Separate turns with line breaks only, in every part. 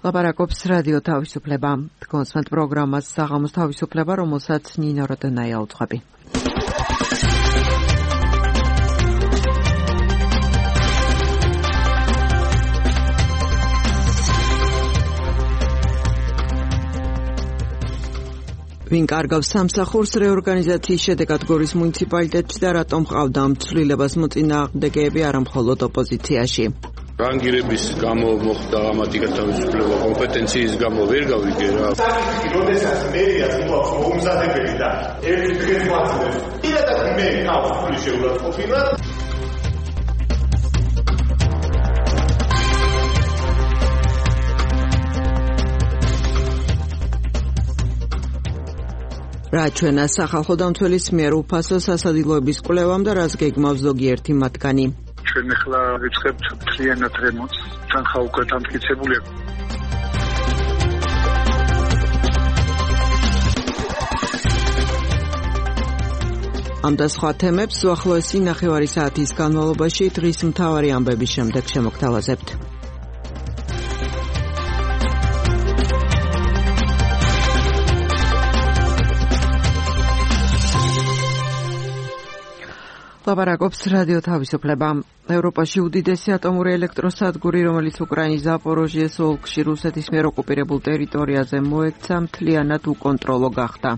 ლაპარაკობს რადიო თავისუფლება. კონსმენთ პროგრამას საღამოს თავისუფლება, რომელსაც ნინო როდონაია უძღვები. ვინ კარგავს სამსახურს რეორგანიზაციის შედეგად გორის მუნიციპალიტეტში და რატომ ყავდა ამ ცვლილებას მოწინააღმდეგეები არა მხოლოდ ოპოზიციაში.
რანგირების გამო მოხდა ამათი გათავისუფლება, კომპეტენციის გამო ვერ გავიგე რა.
როდესაც მერიას მოაქვს მოუმზადებელი და ერთი დღეს მაწვდებს, პირადად მე თავს ფული შეურაცხყოფინა.
რა ჩვენა სახალხო დამცველის მიერ უფასო სასადილოების კვლევამ და რას გეგმავს ზოგიერთი მათგანი.
ჩვენ ახლა ვიწყებთ მთლიანად რემონტს, თანხა უკვე დამტკიცებულია.
ამ და სხვა თემებს უახლოესი ნახევარი საათის განმავლობაში დღის მთავარი ამბების შემდეგ შემოგთავაზებთ. ლაპარაკობს რადიო თავისუფლება. ევროპაში უდიდესი ატომური ელექტროსადგური, რომელიც უკრაინის ზაპოროჟიეს ოლქში რუსეთის მიერ ოკუპირებულ ტერიტორიაზე მოექცა, მთლიანად უკონტროლო გახდა.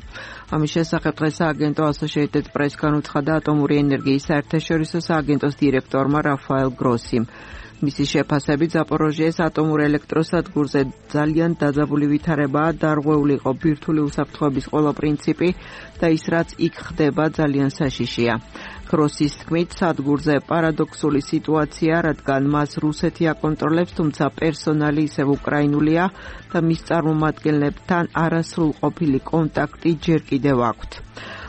ამის შესახებ დღეს სააგენტო Associated Press განუცხადა ატომური ენერგიის საერთაშორისო სააგენტოს დირექტორმა რაფაელ გროსიმ. მისი შეფასებით ზაპოროჟიეს ატომურ ელექტროსადგურზე ძალიან დაძაბული ვითარებაა, დარღვეული იყო ბირთვული უსაფრთხოების ყველა პრინციპი და ის რაც იქ ხდება ძალიან საშიშია. გროსის თქმით, სადგურზე პარადოქსული სიტუაცია, რადგან მას რუსეთი აკონტროლებს, თუმცა პერსონალი ისევ უკრაინულია და მის წარმომადგენლებთან არასრულყოფილი კონტაქტი ჯერ კიდევ აქვთ.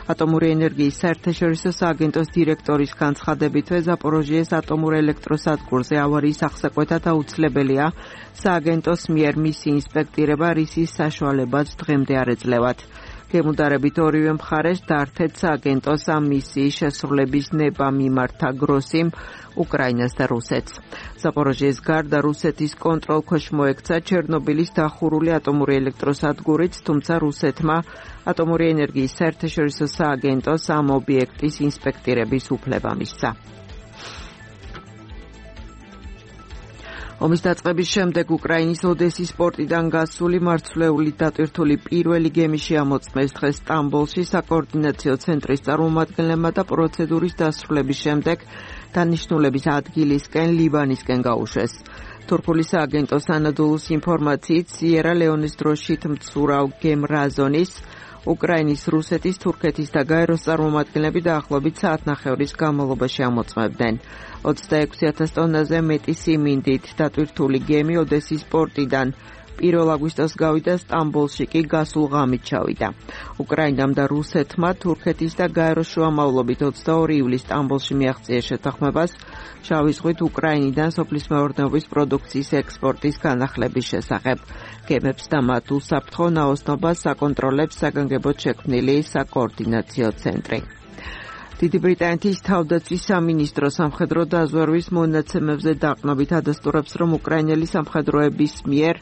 ატომური ენერგიის საერთაშორისო სააგენტოს დირექტორის განცხადებითვე ზაპოროჟიეს ატომურ ელექტროსადგურზე ავარიის აღსაკვეთად აუცილებელია სააგენტოს მიერ მისი ინსპექტირება, რისის საშუალებაც დღემდე არ ეძლევათ. გემუდარებით ორივე მხარეს დაართეთ სააგენტოს ამ მისიის შესრულების ნება მიმართა გროსიმ უკრაინას და რუსეთს. ზაპოროჟიეს გარდა რუსეთის კონტროლქვეშ მოექცა ჩერნობილის დახურული ატომური ელექტროსადგურიც, თუმცა რუსეთმა ატომური ენერგიის საერთაშორისო სააგენტოს ამ ობიექტის ინსპექტირების უფლება მისცა. ომის დაწყების შემდეგ უკრაინის ოდესის პორტიდან გასული მარცვლეული დატვირთული პირველი გემი შეამოწმეს დღეს სტამბოლში საკოორდინაციო ცენტრის წარმომადგენლებმა და პროცედურის დასრულების შემდეგ დანიშნულების ადგილისკენ ლიბანისკენ გაუშვეს. თურქული სააგენტოს ანადოლუს ინფორმაციით სიერა ლეონეს დროშით მცურავ გემ რაზონის უკრაინის, რუსეთის, თურქეთის და გაეროს წარმომადგენლები დაახლოებით საათნახევრის განმავლობაში ამოწმებდნენ. 26,000 ტონაზე მეტი სიმინდით დატვირთული გემი ოდესის პორტიდან 1 აგვისტოს გავიდა, სტამბოლში კი გასულ ღამით ჩავიდა. უკრაინამ და რუსეთმა თურქეთის და გაეროს შუამავლობით 22 ივლისს სტამბოლში მიაღწიეს შეთანხმებას შავი ზღვით უკრაინიდან სოფლის მეურნეობის პროდუქციის ექსპორტის განახლების შესახებ. გემებს და მათ უსაფრთხო ნაოსნობას აკონტროლებს საგანგებოდ შექმნილი საკოორდინაციო ცენტრი. დიდი ბრიტანეთის თავდაცვის სამინისტრო სამხედრო დაზვერვის მონაცემებზე დაყრდნობით ადასტურებს, რომ უკრაინელი სამხედროების მიერ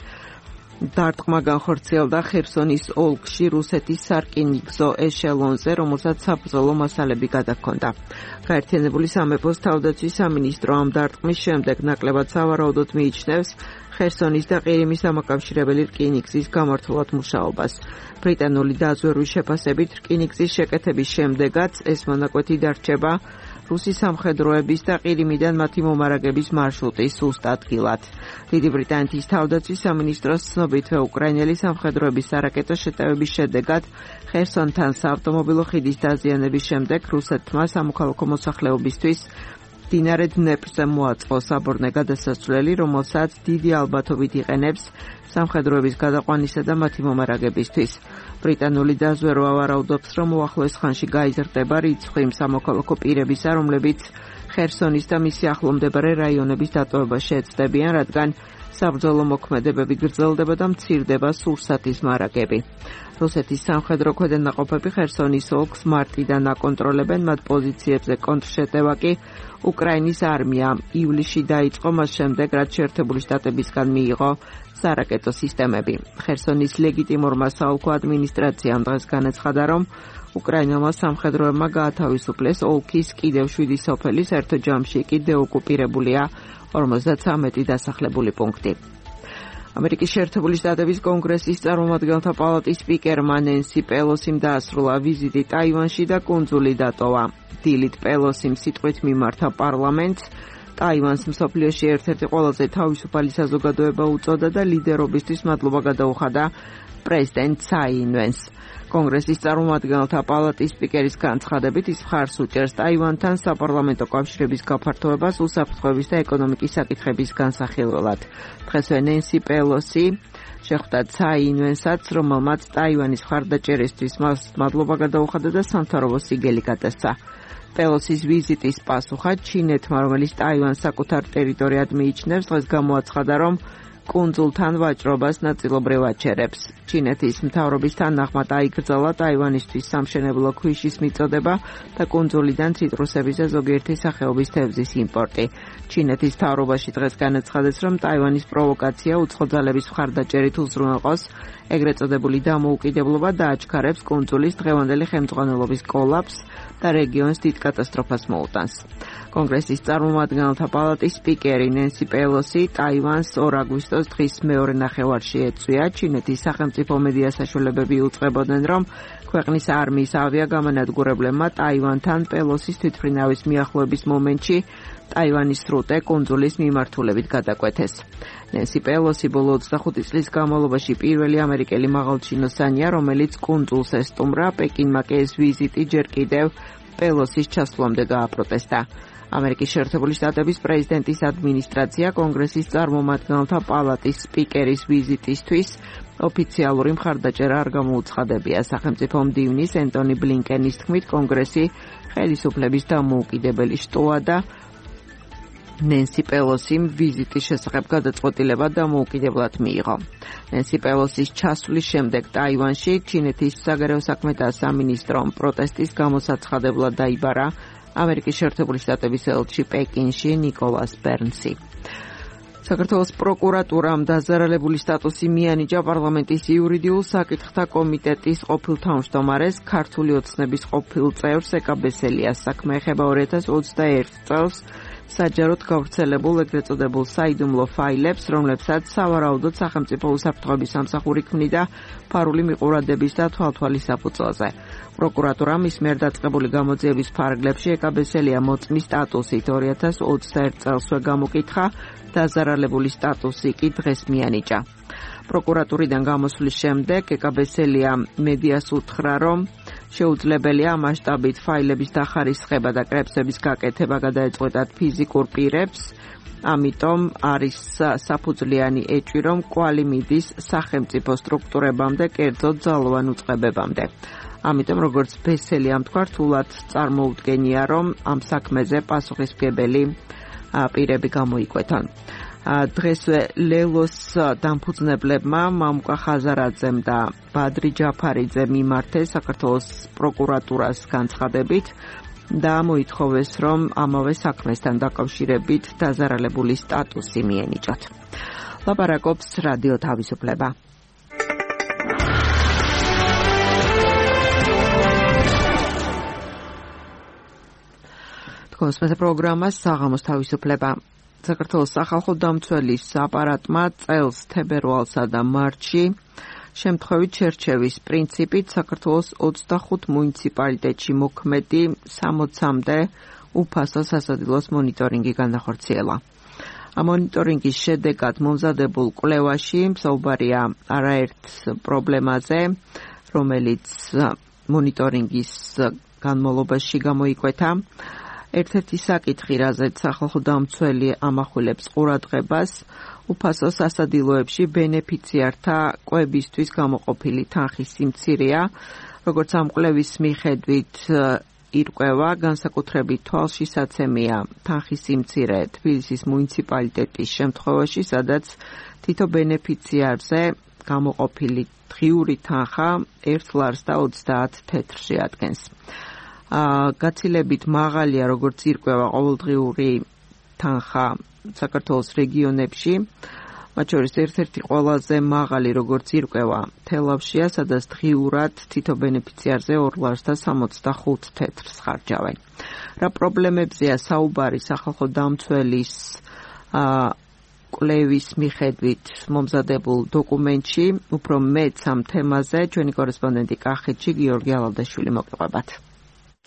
დარტყმა განხორციელდა ხერსონის ოლქში რუსეთის სარკინიგზო ეშელონზე, რომელსაც საბრძოლო მასალები გადაჰქონდა. გაერთიანებული სამეფოს თავდაცვის სამინისტრო ამ დარტყმის შემდეგ ნაკლებად სავარაუდოდ მიიჩნევს ხერსონის და ყირიმის დამაკავშირებელი რკინიგზის გამართულად მუშაობას. ბრიტანული დაზვერვის შეფასებით რკინიგზის შეკეთების შემდეგაც ეს მონაკვეთი დარჩება რუსი სამხედროების და ყირიმიდან მათი მომარაგების მარშრუტის სუსტ ადგილად. დიდი ბრიტანეთის თავდაცვის სამინისტროს ცნობითვე უკრაინელი სამხედროების სარაკეტო შეტევების შედეგად ხერსონთან საავტომობილო ხიდის დაზიანების შემდეგ რუსეთმა სამოქალაქო მოსახლეობისთვის მდინარე დნეპრზე მოაწყო საბორნე გადასასვლელი, რომელსაც დიდი ალბათობით იყენებს სამხედროების გადაყვანისა და მათი მომარაგებისთვის. ბრიტანული დაზვერვა ვარაუდობს, რომ უახლოეს ხანში გაიზრდება რიცხვი იმ სამოქალაქო პირებისა, რომლებიც ხერსონის და მისი ახლომდებარე რაიონების დატოვებას შეეცდებიან, რადგან საბრძოლო მოქმედებები გრძელდება და მცირდება სურსათის მარაგები. რუსეთის სამხედრო ქვედანაყოფები ხერსონის ოლქს მარტიდან აკონტროლებენ, მათ პოზიციებზე კონტრშეტევა კი უკრაინის არმიამ ივლისში დაიწყო, მას შემდეგ რაც შეერთებული შტატებისგან მიიღო სარაკეტო სისტემები. ხერსონის ლეგიტიმურმა საოლქო ადმინისტრაციამ დღეს განაცხადა, რომ უკრაინელმა სამხედროებმა გაათავისუფლეს ოლქის კიდევ 7 სოფელის, ერთ ჯამში კი დეოკუპირებულია 53 დასახლებული პუნქტი. ამერიკის შეერთებული შტატების კონგრესის წარმომადგენელთა პალატის სპიკერმა ნენსი პელოსიმ დაასრულა ვიზიტი ტაივანში და კუნძული დატოვა. დილით პელოსიმ სიტყვით მიმართა პარლამენტს, ტაივანს მსოფლიოში ერთ-ერთი ყველაზე თავისუფალი საზოგადოება უწოდა და ლიდერობისთვის მადლობა გადაუხადა პრეზიდენტ ცაი ინვენს. კონგრესის წარმომადგენელთა პალატის სპიკერის განცხადებით ის მხარს უჭერს ტაივანთან საპარლამენტო კავშირების გაფართოებას უსაფრთხოების და ეკონომიკის საკითხების განსახილველად. დღესვე ნენსი პელოსი შეხვდა ცაი ინვენსაც, რომელმაც ტაივანის მხარდაჭერისთვის მადლობა გადაუხადა და სამთავრობო სიგელი გადასცა. პელოსის ვიზიტის პასუხად ჩინეთმა, რომელიც ტაივანს საკუთარ ტერიტორიად მიიჩნევს, დღეს გამოაცხადა, რომ კუნძულთან ვაჭრობას ნაწილობრივ აჩერებს. ჩინეთის მთავრობის თანახმად აიკრძალა ტაივანისთვის სამშენებლო ქვიშის მიწოდება და კუნძულიდან ციტრუსების და ზოგიერთი სახეობის თევზის იმპორტი. ჩინეთის მთავრობაში დღეს განაცხადეს, რომ ტაივანის პროვოკაცია უცხო ძალების მხარდაჭერით უზრუნველყოს ეგრეთ წოდებული დამოუკიდებლობა და აჩქარებს კუნძულის დღევანდელი ხელმძღვანელობის კოლაფსს და რეგიონს დიდ კატასტროფას მოუტანს. კონგრესის წარმომადგენელთა პალატის სპიკერი ნენსი პელოსი ტაივანს 2 აგვისტოს დღის მეორე ნახევარში ეწვია. ჩინეთის სახელმწიფო მედია საშუალებები უწყებოდნენ, რომ ქვეყნის არმიის ავიაგამანადგურებლებმა ტაივანთან პელოსის თვითმფრინავის მიახლოების მომენტში ტაივანის სრუტე კუნძულის მიმართულებით გადაკვეთეს. ნენსი პელოსი ბოლო 25 წლის განმავლობაში პირველი ამერიკელი მაღალჩინოსანია, რომელიც კუნძულს ესტუმრა. პეკინმა კი ეს ვიზიტი ჯერ კიდევ პელოსის ჩასვლამდე გააპროტესტა. ამერიკის შეერთებული შტატების პრეზიდენტის ადმინისტრაცია კონგრესის წარმომადგენელთა პალატის სპიკერის ვიზიტისთვის ოფიციალური მხარდაჭერა არ გამოუცხადებია. სახელმწიფო მდივნის ენტონი ბლინკენის თქმით, კონგრესი ხელისუფლების დამოუკიდებელი შტოა და ნენსი პელოსიმ ვიზიტის შესახებ გადაწყვეტილება დამოუკიდებლად მიიღო. ნენსი პელოსის ჩასვლის შემდეგ ტაივანში ჩინეთის საგარეო საქმეთა სამინისტრომ პროტესტის გამოსაცხადებლად დაიბარა ამერიკის შეერთებული შტატების ელჩი პეკინში ნიკოლას ბერნსი. საქართველოს პროკურატურამ დაზარალებული სტატუსი მიანიჭა პარლამენტის იურიდიულ საკითხთა კომიტეტის ყოფილ თავმჯდომარეს, ქართული ოცნების ყოფილ წევრს ეკაბესელიას. საქმე ეხება 2021 წელს საჯაროდ გავრცელებულ ეგრეთ წოდებულ საიდუმლო ფაილებს, რომლებსაც სავარაუდოდ სახელმწიფო უსაფრთხოების სამსახური ქმნიდა ფარული მიყურადების და თვალთვალის საფუძველზე. პროკურატურამ ის მიერ დაწყებული გამოძიების ფარგლებში ეკაბესელია მოწმის სტატუსით 2021 წელსვე გამოკითხა, დაზარალებული სტატუსი კი დღეს მიანიჭა. პროკურატურიდან გამოსვლის შემდეგ ეკაბესელია მედიას უთხრა, რომ შეუძლებელია მასშტაბით ფაილების დახარისხება და კრებსების გაკეთება გადაეწყვეტათ ფიზიკურ პირებს, ამიტომ არის საფუძვლიანი ეჭვი, რომ კვალი მიდის სახელმწიფო სტრუქტურებამდე, კერძოდ ძალოვან უწყებებამდე. ამიტომ, როგორც ბესელიამ თქვა, რთულად წარმოუდგენია, რომ ამ საქმეზე პასუხისმგებელი პირები გამოიკვეთონ. დღესვე ლელოს დამფუძნებლებმა მამუკა ხაზარაძემ და ბადრი ჯაფარიძემ მიმართეს საქართველოს პროკურატურას განცხადებით და მოითხოვეს, რომ ამავე საქმესთან დაკავშირებით დაზარალებული სტატუსი მიენიჭოთ. ლაპარაკობს რადიო თავისუფლება. თქოს მე პროგრამა საღამოს თავისუფლება. საქართველოს სახალხო დამცველის აპარატმა წელს თებერვალსა და მარტში შემთხვევით შერჩევის პრინციპით საქართველოს 25 მუნიციპალიტეტში მოქმედი 60-მდე უფასო სასადილოს მონიტორინგი განახორციელა. ამ მონიტორინგის შედეგად მომზადებულ კვლევაში მსაუბარია არაერთ პრობლემაზე, რომელიც მონიტორინგის განმავლობაში გამოიკვეთა. ერთ-ერთი საკითხი, რაზეც სახალხო დამცველი ამახვილებს ყურადღებას, უფასო სასადილოებში ბენეფიციართა კვებისთვის გამოყოფილი თანხის სიმცირეა. როგორც ამ კვლევის მიხედვით, ირკვევა, განსაკუთრებით თვალშისაცემია თანხის სიმცირე თბილისის მუნიციპალიტეტის შემთხვევაში, სადაც თითო ბენეფიციარზე გამოყოფილი დღიური თანხა 1 ლარს და 30 თეთრს შეადგენს. გაცილებით მაღალია, როგორც ირკვევა, ყოველდღიური თანხა საქართველოს რეგიონებში, მათ შორის ერთ-ერთი ყველაზე მაღალი, როგორც ირკვევა, თელავშია, სადაც დღიურად თითო ბენეფიციარზე 2 ლარს და 65 თეთრს ხარჯავენ. რა პრობლემებზეა საუბარი სახალხო დამცველის კვლევის მიხედვით მომზადებულ დოკუმენტში, უფრო მეც ამ თემაზე ჩვენი კორესპონდენტი კახეთში გიორგი ალავდაშვილი მოგყვებათ.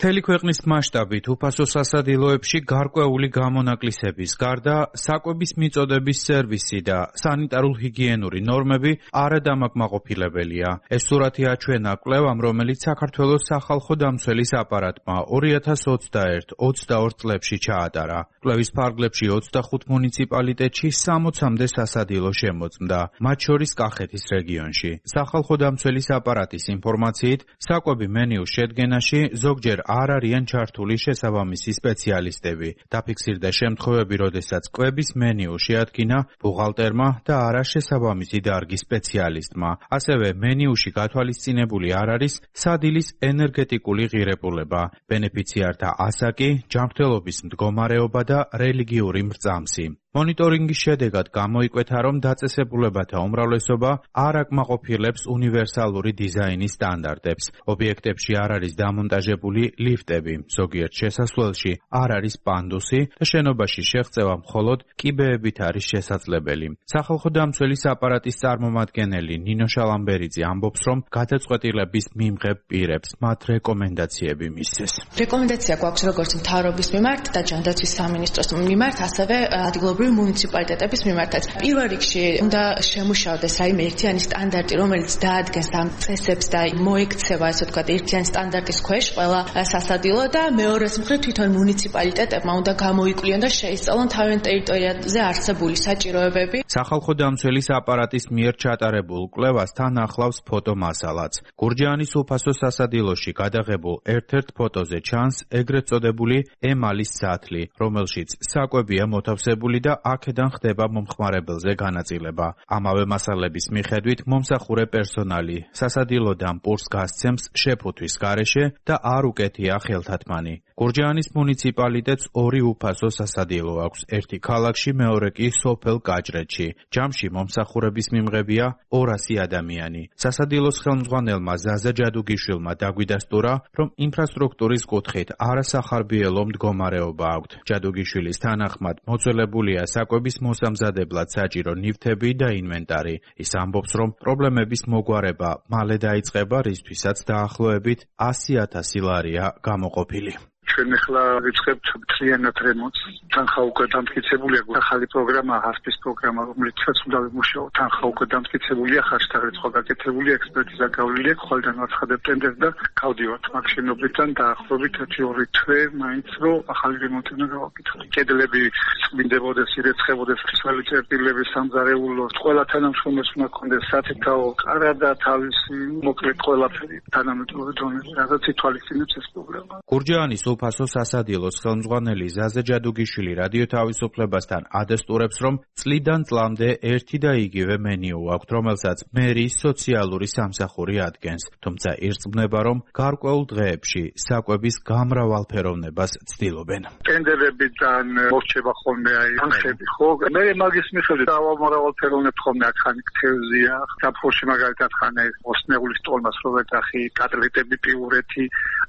მთელი ქვეყნის მასშტაბით უფასო სასადილოებში გარკვეული გამონაკლისების გარდა საკვების მიწოდების სერვისი და სანიტარულ-ჰიგიენური ნორმები არადამაკმაყოფილებელია. ეს სურათი აჩვენა კვლევამ, რომელიც საქართველოს სახალხო დამცველის აპარატმა 2021-22 წლებში ჩაატარა. კვლევის ფარგლებში 25 მუნიციპალიტეტში 60-მდე სასადილო შემოწმდა, მათ შორის კახეთის რეგიონში. სახალხო დამცველის აპარატის ინფორმაციით, საკვები მენიუს შედგენაში ზოგჯერ არ არიან ჩართული შესაბამისი სპეციალისტები. დაფიქსირდა შემთხვევები, როდესაც კვების მენიუ შეადგინა ბუღალტერმა და არა შესაბამისი დარგის სპეციალისტმა. ასევე მენიუში გათვალისწინებული არ არის სადილის ენერგეტიკული ღირებულება, ბენეფიციართა ასაკი, ჯანმრთელობის მდგომარეობა და რელიგიური მრწამსი. მონიტორინგის შედეგად გამოიკვეთა, რომ დაწესებულებათა უმრავლესობა არ აკმაყოფილებს უნივერსალური დიზაინის სტანდარტებს. ობიექტებში არ არის დამონტაჟებული ლიფტები, ზოგიერთ შესასვლელში არ არის პანდუსი და შენობაში შეღწევა მხოლოდ კიბეებით არის შესაძლებელი. სახალხო დამცველის აპარატის წარმომადგენელი ნინო შალამბერიძე ამბობს, რომ გადაწყვეტილების მიმღებ პირებს მათ რეკომენდაციები მისცეს.
რეკომენდაცია გვაქვს როგორც მთავრობის მიმართ და ჯანდაცვის სამინისტროს მიმართ, ასევე ადგილობრივი მუნიციპალიტეტების მიმართაც. პირველ რიგში უნდა შემუშავდეს რაიმე ერთიანი სტანდარტი, რომელიც დაადგენს ამ წესებს და მოექცევა, ასე ვთქვათ, ერთიანი სტანდარტის ქვეშ ყველა სასადილო და მეორეს მხრივ თვითონ მუნიციპალიტეტებმა უნდა გამოიკვლიონ და შეისწავლონ თავიანთ ტერიტორიაზე არსებული საჭიროებები.
სახალხო დამცველის აპარატის მიერ ჩატარებულ კვლევას თან ახლავს ფოტომასალაც. გურჯაანის უფასო სასადილოში გადაღებულ ერთ-ერთ ფოტოზე ჩანს ეგრეთ წოდებული ემალის სათლი, რომელშიც საკვებია მოთავსებული და აქედან ხდება მომხმარებელზე განაწილება. ამავე მასალების მიხედვით მომსახურე პერსონალი სასადილოდან პურს გასცემს შეფუთვის გარეშე და არ უკეთია ხელთათმანი. გურჯაანის მუნიციპალიტეტს 2 უფასო სასადილო აქვს, ერთი ქალაქში, მეორე კი სოფელ კაჭრეთში. ჯამში მომსახურების მიმღებია 200 ადამიანი. სასადილოს ხელმძღვანელმა ზაზა ჯადუგიშვილმა დაგვიდასტურა, რომ ინფრასტრუქტურის კუთხით არასახარბიელო მდგომარეობა აქვთ. ჯადუგიშვილის თანახმად მოწოლებულია საკვების მოსამზადებლად საჭირო ნივთები და ინვენტარი. ის ამბობს, რომ პრობლემების მოგვარება მალე დაიწყება, რისთვისაც დაახლოებით 100,000 ლარია გამოყოფილი.
ჩვენ ახლა ვიწყებთ მთლიანად რემონტს. თანხა უკვე დამტკიცებულია, ახალი პროგრამა, ჰასპის პროგრამა, რომელიცაც უნდა ვიმუშაოთ. თანხა უკვე დამტკიცებულია, ხარჯთა რიცხვი გაკეთებულია, ექსპერტიზა გავლილია, ხვალიდან ვაცხადებ ტენდერს და გავდივართ მაგ შენობიდან დაახლოებით 1-2 თვე მაინც რომ ახალი რემონტი უნდა გავაკეთოთ. კედლები წმინდებოდეს, ირეცხებოდეს, ფრისველი წერტილები, სამზარეულო, ყველა თანამშრომელს უნდა ქონდეს სათითაო კარა და თავისი მოკლედ ყველაფერი თანამედროვე დონეზე, რაღაც ითვალისწინებს ეს პროგრამა.
გურჯაანის უფასო სასადილოს ხელმძღვანელი ზაზა ჯადუგიშვილი რადიო თავისუფლებასთან ადასტურებს, რომ წლიდან წლამდე ერთი და იგივე მენიუ აქვს, რომელსაც მერიის სოციალური სამსახური ადგენს. თუმცა ირწმუნება, რომ გარკვეულ დღეებში საკვების გამრავალფეროვნებას ცდილობენ.
ტენდერებიდან მორჩება ხოლმე თანხები, ხო? მე მაგის მიხედვით მრავალფეროვნებ ხოლმე აქ ხანი ქცევზია, საფრთხეში მაგალითად ხანი მოსნეულის ტოლმას რო ვეთახი, კატლეტები, პიურეთი,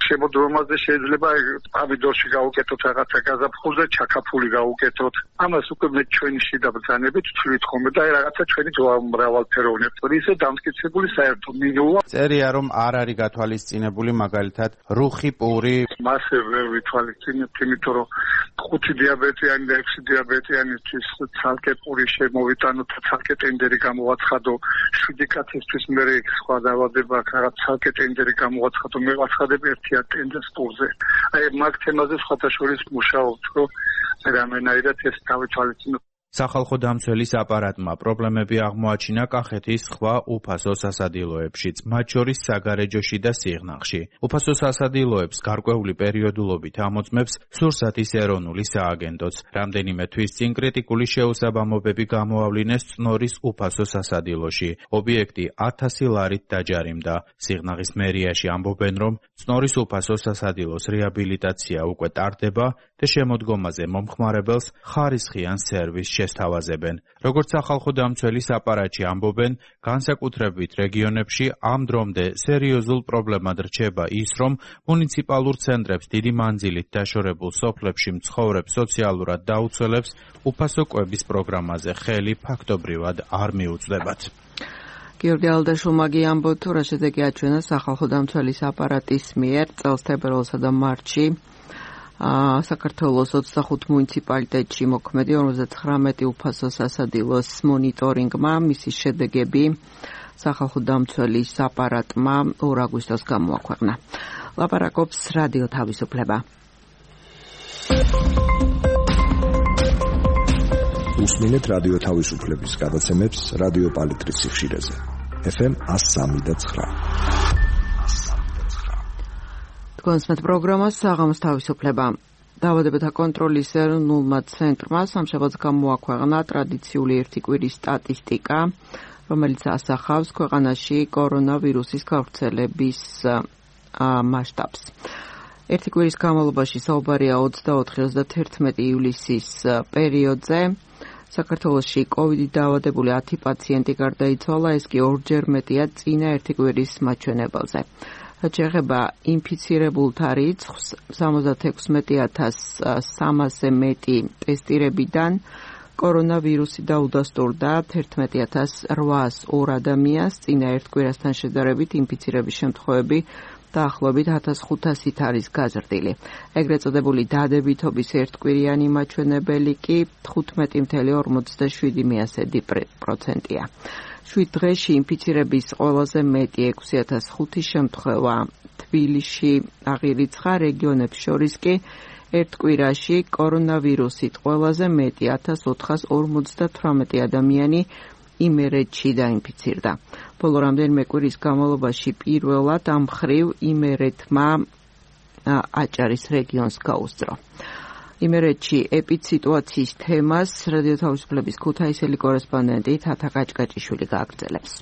შემოდგომაზე შეიძლება ამიდორში გავუკეთოთ რაღაცა გაზაფხულზე, ჩაკაფული გავუკეთოთ. ამას უკვე მე ჩვენი შიდა ბრძანებით ვთვლით ხოლმე და რაღაცა ჩვენი მრავალფეროვნებით. ისე დამტკიცებული საერთო მინუა.
წერია, რომ არ არის გათვალისწინებული მაგალითად რუხი პური.
მასე ვერ ვითვალისწინებთ, იმიტომ რომ 5 დიაბეტიანი და 6 დიაბეტიანისთვის ცალკე პური შემოვიტანოთ, ცალკე ტენდერი გამოვაცხადო, 7 კაცისთვის მე სხვა დაავადება აქვს, რაღაც ცალკე ტენდერი გამოვაცხადო, მე ვაცხადებ ერთიან ტენდერს პურზე. აი მაგ თემაზე სხვათა შორის მუშაობთ, რომ რამენაირად ეს დავითვალისწინოთ.
სახალხო დამცველის აპარატმა პრობლემები აღმოაჩინა კახეთის სხვა უფასო სასადილოებშიც, მათ შორის საგარეჯოში და სიღნაღში. უფასო სასადილოებს გარკვეული პერიოდულობით ამოწმებს სურსათის ეროვნული სააგენტოც. რამდენიმე თვის წინ კრიტიკული შეუსაბამობები გამოავლინეს წნორის უფასო სასადილოში. ობიექტი 1000 ლარით დაჯარიმდა. სიღნაღის მერიაში ამბობენ, რომ წნორის უფასო სასადილოს რეაბილიტაცია უკვე ტარდება და შემოდგომაზე მომხმარებელს ხარისხიან სერვისს შესთავაზებენ. როგორც სახალხო დამცველის აპარატში ამბობენ, განსაკუთრებით რეგიონებში ამ დრომდე სერიოზულ პრობლემად რჩება ის, რომ მუნიციპალურ ცენტრებს დიდი მანძილით დაშორებულ სოფლებში მცხოვრებ სოციალურად დაუცველებს უფასო კვების პროგრამაზე ხელი ფაქტობრივად არ მიუწვდებათ.
გიორგი ალდაშულმა ამბობს, თუ რა შედეგი აჩვენა სახალხო დამცველის აპარატის მიერ წელს თებერვალსა და მარტში საქართველოს 25 მუნიციპალიტეტში მოქმედი 59 უფასო სასადილოს მონიტორინგმა მისი შედეგები სახალხო დამცველის აპარატმა 2 აგვისტოს გამოაქვეყნა. ლაპარაკობს რადიო თავისუფლება.
უსმინეთ რადიო თავისუფლების გადაცემებს რადიო პალიტრის სიხშირეზე. FM 103.9.
კონსმეთ პროგრამას საღამოს თავისუფლება. დაავადებათა კონტროლის ეროვნულმა ცენტრმა სამშაბათს გამოაქვეყნა ტრადიციული ერთი კვირის სტატისტიკა, რომელიც ასახავს ქვეყანაში კორონავირუსის გავრცელების მასშტაბს. ერთი კვირის განმავლობაში საუბარია 24-31 ივლისის პერიოდზე. საქართველოში COVID-ით დაავადებული 10 პაციენტი გარდაიცვალა, ეს კი ორჯერ მეტია წინა ერთი კვირის მაჩვენებელზე. რაც შეეხება ინფიცირებულთა რიცხვს, 76,300-ზე მეტი ტესტირებიდან კორონავირუსი დაუდასტურდა 11,802 ადამიანს, წინა ერთ კვირასთან შედარებით ინფიცირების შემთხვევები დაახლოებით 1500-ით არის გაზრდილი. ეგრეთ წოდებული დადებითობის ერთკვირიანი მაჩვენებელი კი 15,47%-ია. 7 დღეში ინფიცირების ყველაზე მეტი 6005 შემთხვევა თბილისში აღირიცხა, რეგიონებს შორის კი ერთ კვირაში კორონავირუსით ყველაზე მეტი 1458 ადამიანი იმერეთში დაინფიცირდა. ბოლო რამდენიმე კვირის განმავლობაში პირველად ამ მხრივ იმერეთმა აჭარის რეგიონს გაუსწრო. იმერეთში ეპიდსიტუაციის თემას რადიო თავისუფლების ქუთაისელი კორესპონდენტი თათა კაჭკაჭიშვილი გააგრძელებს.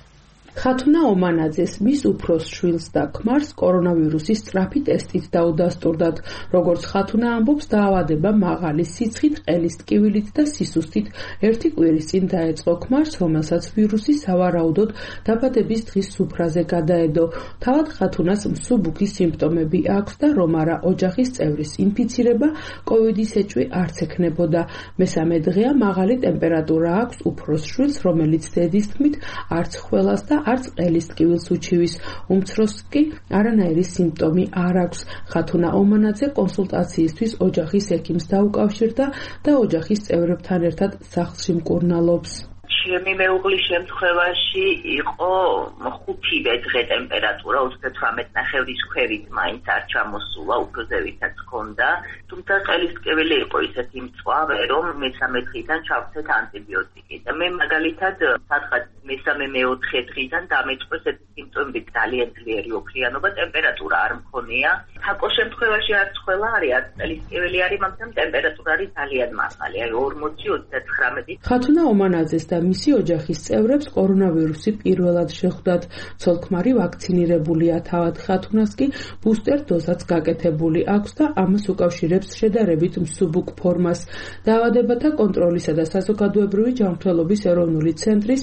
ხათუნა ომანაძეს მის უფროს შვილს და ქმარს კორონავირუსის სწრაფი ტესტით დაუდასტურდათ. როგორც ხათუნა ამბობს, დაავადება მაღალი სიცხით, ყელის ტკივილით და სისუსტით ერთი კვირის წინ დაეწყო ქმარს, რომელსაც ვირუსი სავარაუდოდ დაბადების დღის სუფრაზე გადაედო. თავად ხათუნას მსუბუქი სიმპტომები აქვს და რომ არა ოჯახის წევრის ინფიცირება, კოვიდის ეჭვი არც ექნებოდა. მესამე დღეა მაღალი ტემპერატურა აქვს უფროს შვილს, რომელიც დედის თქმით არც ხველას და არც ყელის ტკივილს უჩივის. უმცროსს კი არანაირი სიმპტომი არ აქვს. ხათუნა ომანაძე კონსულტაციისთვის ოჯახის ექიმს დაუკავშირდა და ოჯახის წევრებთან ერთად სახლში მკურნალობს.
ჩემი მეუღლის შემთხვევაში იყო 5 დღე ტემპერატურა 38.5-ის ქვევით მაინც არ ჩამოსულა, უფრო ზევითაც ჰქონდა, თუმცა ყელის ტკივილი იყო ისეთი მწვავე, რომ მესამე დღიდან ჩავცეთ ანტიბიოტიკი და მე მაგალითად სადღაც მესამე-მეოთხე დღიდან დამეწყეს ეს სიმპტომები, ძალიან ძლიერი ოქრიანობა, ტემპერატურა არ მქონია. თაკოს შემთხვევაში არც ყველა არის, არც ყელის ტკივილი არის, მაგრამ ტემპერატურა არის ძალიან მაღალი, აი 40-39.
ხათუნა ომანაძეს და მისი ოჯახის წევრებს კორონავირუსი პირველად შეხვდათ. ცოლ-ქმარი ვაქცინირებულია, თავად ხათუნას კი ბუსტერ დოზაც გაკეთებული აქვს და ამას უკავშირებს შედარებით მსუბუქ ფორმას. დაავადებათა კონტროლისა და საზოგადოებრივი ჯანმრთელობის ეროვნული ცენტრის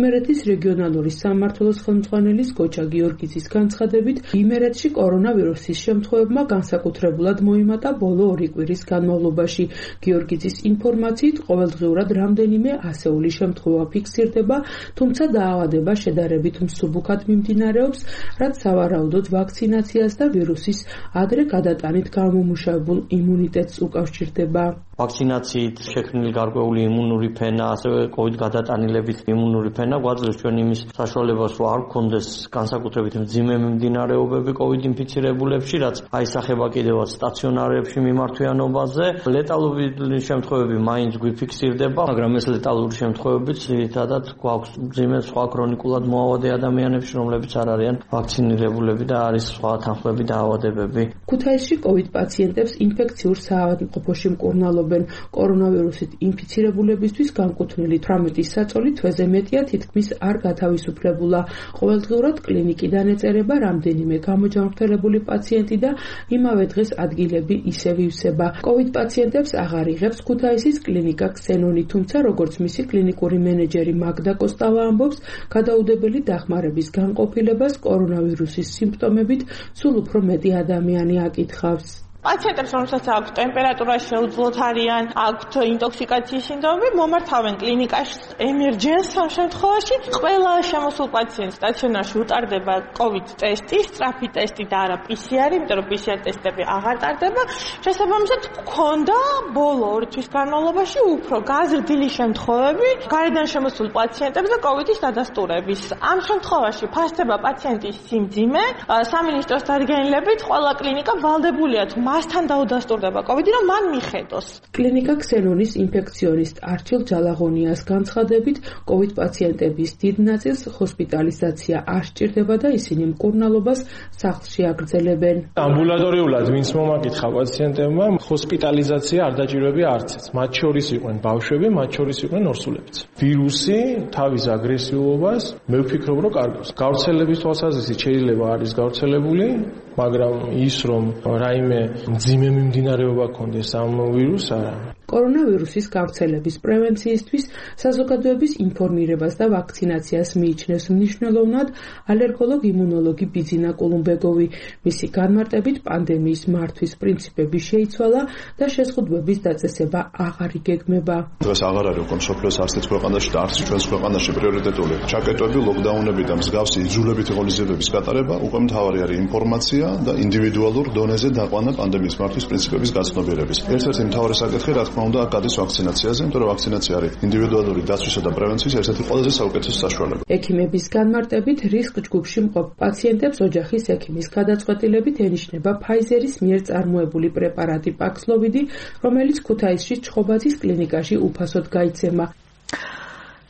იმერეთის რეგიონალური სამმართველოს ხელმძღვანელის გოჩა გიორგიძის განცხადებით, იმერეთში კორონავირუსის შემთხვევებმა განსაკუთრებულად მოიმატა ბოლო 2 კვირის განმავლობაში. გიორგიძის ინფორმაციით, ყოველდღიურად რამდენიმე ასეული შემთხვევა ფიქსირდება, თუმცა დაავადება შედარებით მსუბუქად მიმდინარეობს, რაც სავარაუდოდ ვაქცინაციას და ვირუსის ადრე გადატანით გამომუშავებულ იმუნიტეტს უკავშირდება.
ვაქცინაციით შექმნილი გარკვეული იმუნური ფენა, ასევე COVID გადატანილებით იმუნური ფენა გვაძლევს ჩვენ იმის საშუალებას, რომ არ გქონდეს განსაკუთრებით მძიმე მიმდინარეობები COVID ინფიცირებულებში, რაც აისახება კიდევაც სტაციონარებში მიმართვიანობაზე. ლეტალური შემთხვევები მაინც გვიფიქსირდება, მაგრამ ეს ლეტალური შემთხვევებიც ძირითადად გვაქვს მძიმე სხვა ქრონიკულად მოავადე ადამიანებში, რომლებიც არ არიან ვაქცინირებულები და არის სხვა თანხმები და ავადებები.
ქუთაისში COVID პაციენტებს ინფექციურ საავადმყოფოში მკურნალობენ. კორონავირუსით ინფიცირებულებისთვის განკუთვნილი 18 საწოლი თვეზე მეტია თითქმის არ გათავისუფლებულა. ყოველდღიურად კლინიკიდან ეწერება რამდენიმე გამოჯანმრთელებული პაციენტი და იმავე დღეს ადგილები ისევ ივსება. COVID პაციენტებს აღარ იღებს ქუთაისის კლინიკა ქსენონი, თუმცა როგორც მისი კლინიკური მენეჯერი მაგდა კოსტავა ამბობს, გადაუდებელი დახმარების განყოფილებას კორონავირუსის სიმპტომებით სულ უფრო მეტი ადამიანი აკითხავს.
პაციენტებს, რომელსაც აქვთ ტემპერატურა, შეუძლოთ არიან, აქვთ ინტოქსიკაციის სინდრომები, მომართავენ კლინიკაში ემერჯენს ამ შემთხვევაში. ყველა შემოსულ პაციენტს სტაციონარში უტარდება COVID ტესტი, სწრაფი ტესტი და არა PCR, იმიტომ რომ PCR ტესტები აღარ ტარდება. შესაბამისად, გქონდა ბოლო 2 თვის განმავლობაში უფრო გაზრდილი შემთხვევები გარედან შემოსულ პაციენტებს და COVID-ის დადასტურების. ამ შემთხვევაში ფასდება პაციენტის სიმძიმე, სამინისტროს დადგენილებით ყველა კლინიკა ვალდებულია მასთან დაუდასტურდება COVID, რომ მან მიხედოს.
კლინიკა ქსენონის ინფექციონისტ არჩილ ჯალაღონიას განცხადებით, COVID პაციენტების დიდ ნაწილს ჰოსპიტალიზაცია არ სჭირდება და ისინი მკურნალობას სახლში აგრძელებენ.
ამბულატორიულად ვინც მომაკითხა პაციენტებმა, ჰოსპიტალიზაცია არ დაჭირვებია არცეც. მათ შორის იყვნენ ბავშვები, მათ შორის იყვნენ ორსულებიც. ვირუსი თავის აგრესიულობას მე ვფიქრობ, რომ კარგავს. გავრცელების თვალსაზრისით შეიძლება არის გავრცელებული, მაგრამ ის რომ რაიმე მძიმე მიმდინარეობა ქონდეს ამ ვირუსს არა.
კორონავირუსის გავრცელების პრევენციისთვის საზოგადოების ინფორმირებას და ვაქცინაციას მიიჩნევს მნიშვნელოვნად ალერგოლოგ-იმუნოლოგი ბიძინა კულუმბეგოვი. მისი განმარტებით პანდემიის მართვის პრინციპები შეიცვალა და შეზღუდვების დაწესება აღარ იგეგმება.
დღეს აღარ არის უკვე მსოფლიოს არც ერთ ქვეყანაში და არც ჩვენს ქვეყანაში პრიორიტეტული ჩაკეტვები, ლოკდაუნები და მსგავსი იძულებითი ღონისძიებების გატარება. უკვე მთავარი არის ინფორმაცია და ინდივიდუალურ დონეზე დაყვანა პანდემიის მართვის პრინციპების გაცნობიერების. ერთ-ერთი მთავარი საკითხი, რა თქმა უნდა, გადის ვაქცინაციაზე, იმიტომ რომ ვაქცინაცია არის ინდივიდუალური დაცვისა და პრევენციის ერთ-ერთი ყველაზე საუკეთესო საშუალება.
ექიმების განმარტებით, რისკ ჯგუფში მყოფ პაციენტებს ოჯახის ექიმის გადაწყვეტილებით ენიშნება Pfizer-ის მიერ წარმოებული პრეპარატი Paxlovid, რომელიც ქუთაისში ჩხობაძის კლინიკაში უფასოდ გაიცემა.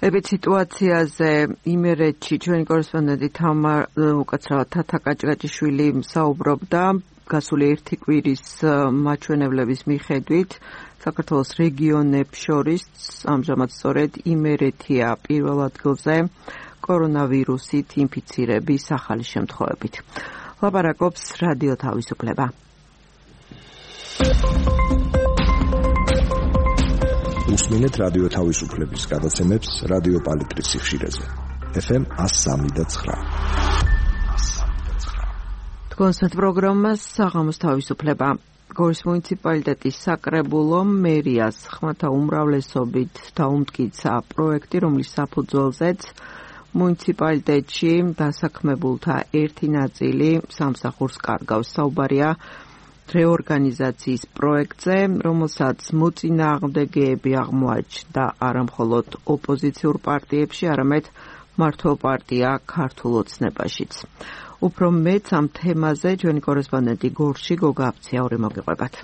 ებით სიტუაციაზე იმერეთში ჩვენი კორესპონდენტი უკაცრავად თათა კაჭკაჭიშვილი საუბრობდა. გასული 1 კვირის მაჩვენებლების მიხედვით საქართველოს რეგიონებს შორის ამჟამად სწორედ იმერეთია პირველ ადგილზე კორონავირუსით ინფიცირების ახალი შემთხვევებით. ლაპარაკობს რადიო თავისუფლება.
უსმენთ რადიო თავისუფლების გადაცემებს რადიო პალიტრის სიხშირეზე. FM 103.9.
კონსერტ პროგრამას საღამოს თავისუფლება. გორის მუნიციპალიტეტის საკრებულო მერიას ხმათა უმრავლესობით დაუმტკიცა პროექტი, რომლის საფუძველზეც მუნიციპალიტეტში დასაქმებულთა ერთი ნაწილი სამსახურს კარგავს. საუბარია რეორგანიზაციის პროექტზე, რომელსაც მოწინააღმდეგეები აღმოაჩნდა არა მხოლოდ ოპოზიციურ პარტიებში, არამედ მართლ პარტია ქართულ ოცნებაშიც. უფრო მეც ამ თემაზე ჩვენი კორესპონდენტი გორში გოგა აფციაური მოგიყვებათ.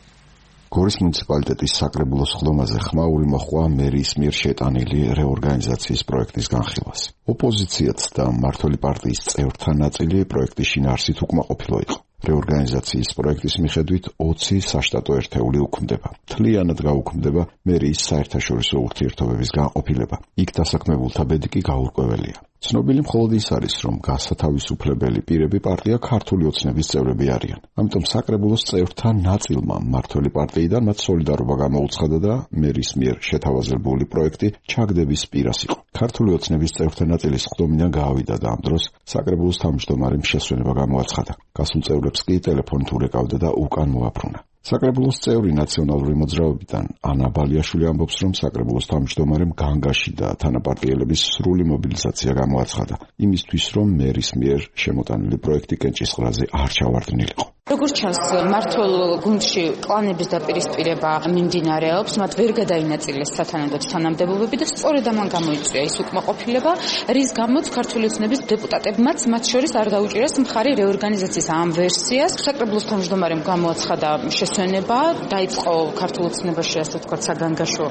გორის მუნიციპალიტეტის საკრებულოს ხდომაზე ხმაური მოჰყვა მერის მიერ შეტანილი რეორგანიზაციის პროექტის განხილვას. ოპოზიციაც და მმართველი პარტიის წევრთა ნაწილი პროექტის შინაარსით უკმაყოფილო იყო. რეორგანიზაციის პროექტის მიხედვით 20 საშტატო ერთეული უქმდება. მთლიანად გაუქმდება მერიის საერთაშორისო ურთიერთობების განყოფილება. იქ დასაქმებულთა ბედი კი გაურკვეველია. ცნობილი მხოლოდ ის არის, რომ გასათავისუფლებელი პირები პარტია ქართული ოცნების წევრები არიან. ამიტომ საკრებულოს წევრთა ნაწილმა მმართველი პარტიიდან მათ სოლიდარობა გამოუცხადა და მერის მიერ შეთავაზებული პროექტი ჩაგდების პირას იყო. ქართული ოცნების წევრთა ნაწილის ხდომიდან გაავიდა და ამ დროს საკრებულოს თავმჯდომარემ შესვენება გამოაცხადა. გასულ წევრებს კი ტელეფონით ურეკავდა და უკან მოაბრუნა. საკრებულოს წევრი ნაციონალური მოძრაობიდან ანა ბალიაშვილი ამბობს, რომ საკრებულოს თავმჯდომარემ განგაში და თანაპარტიელების სრული მობილიზაცია გამოაცხადა იმისთვის, რომ მერის მიერ შემოტანილი პროექტი კენჭისყრაზე არ ჩავარდნილიყო.
როგორც ჩანს, მართულ გუნდში კლანების დაპირისპირება მიმდინარეობს, მათ ვერ გადაინაწილეს სათანადო თანამდებობები და სწორედ ამან გამოიწვია ის უკმაყოფილება, რის გამოც ქართული ოცნების დეპუტატებმაც მათ შორის არ დაუჭირეს მხარი რეორგანიზაციის ამ ვერსიას. საკრებულოს თავმჯდომარემ გამოაცხადა შესვენება, დაიწყო ქართულ ოცნებაში, ასე ვთქვათ, საგანგაშო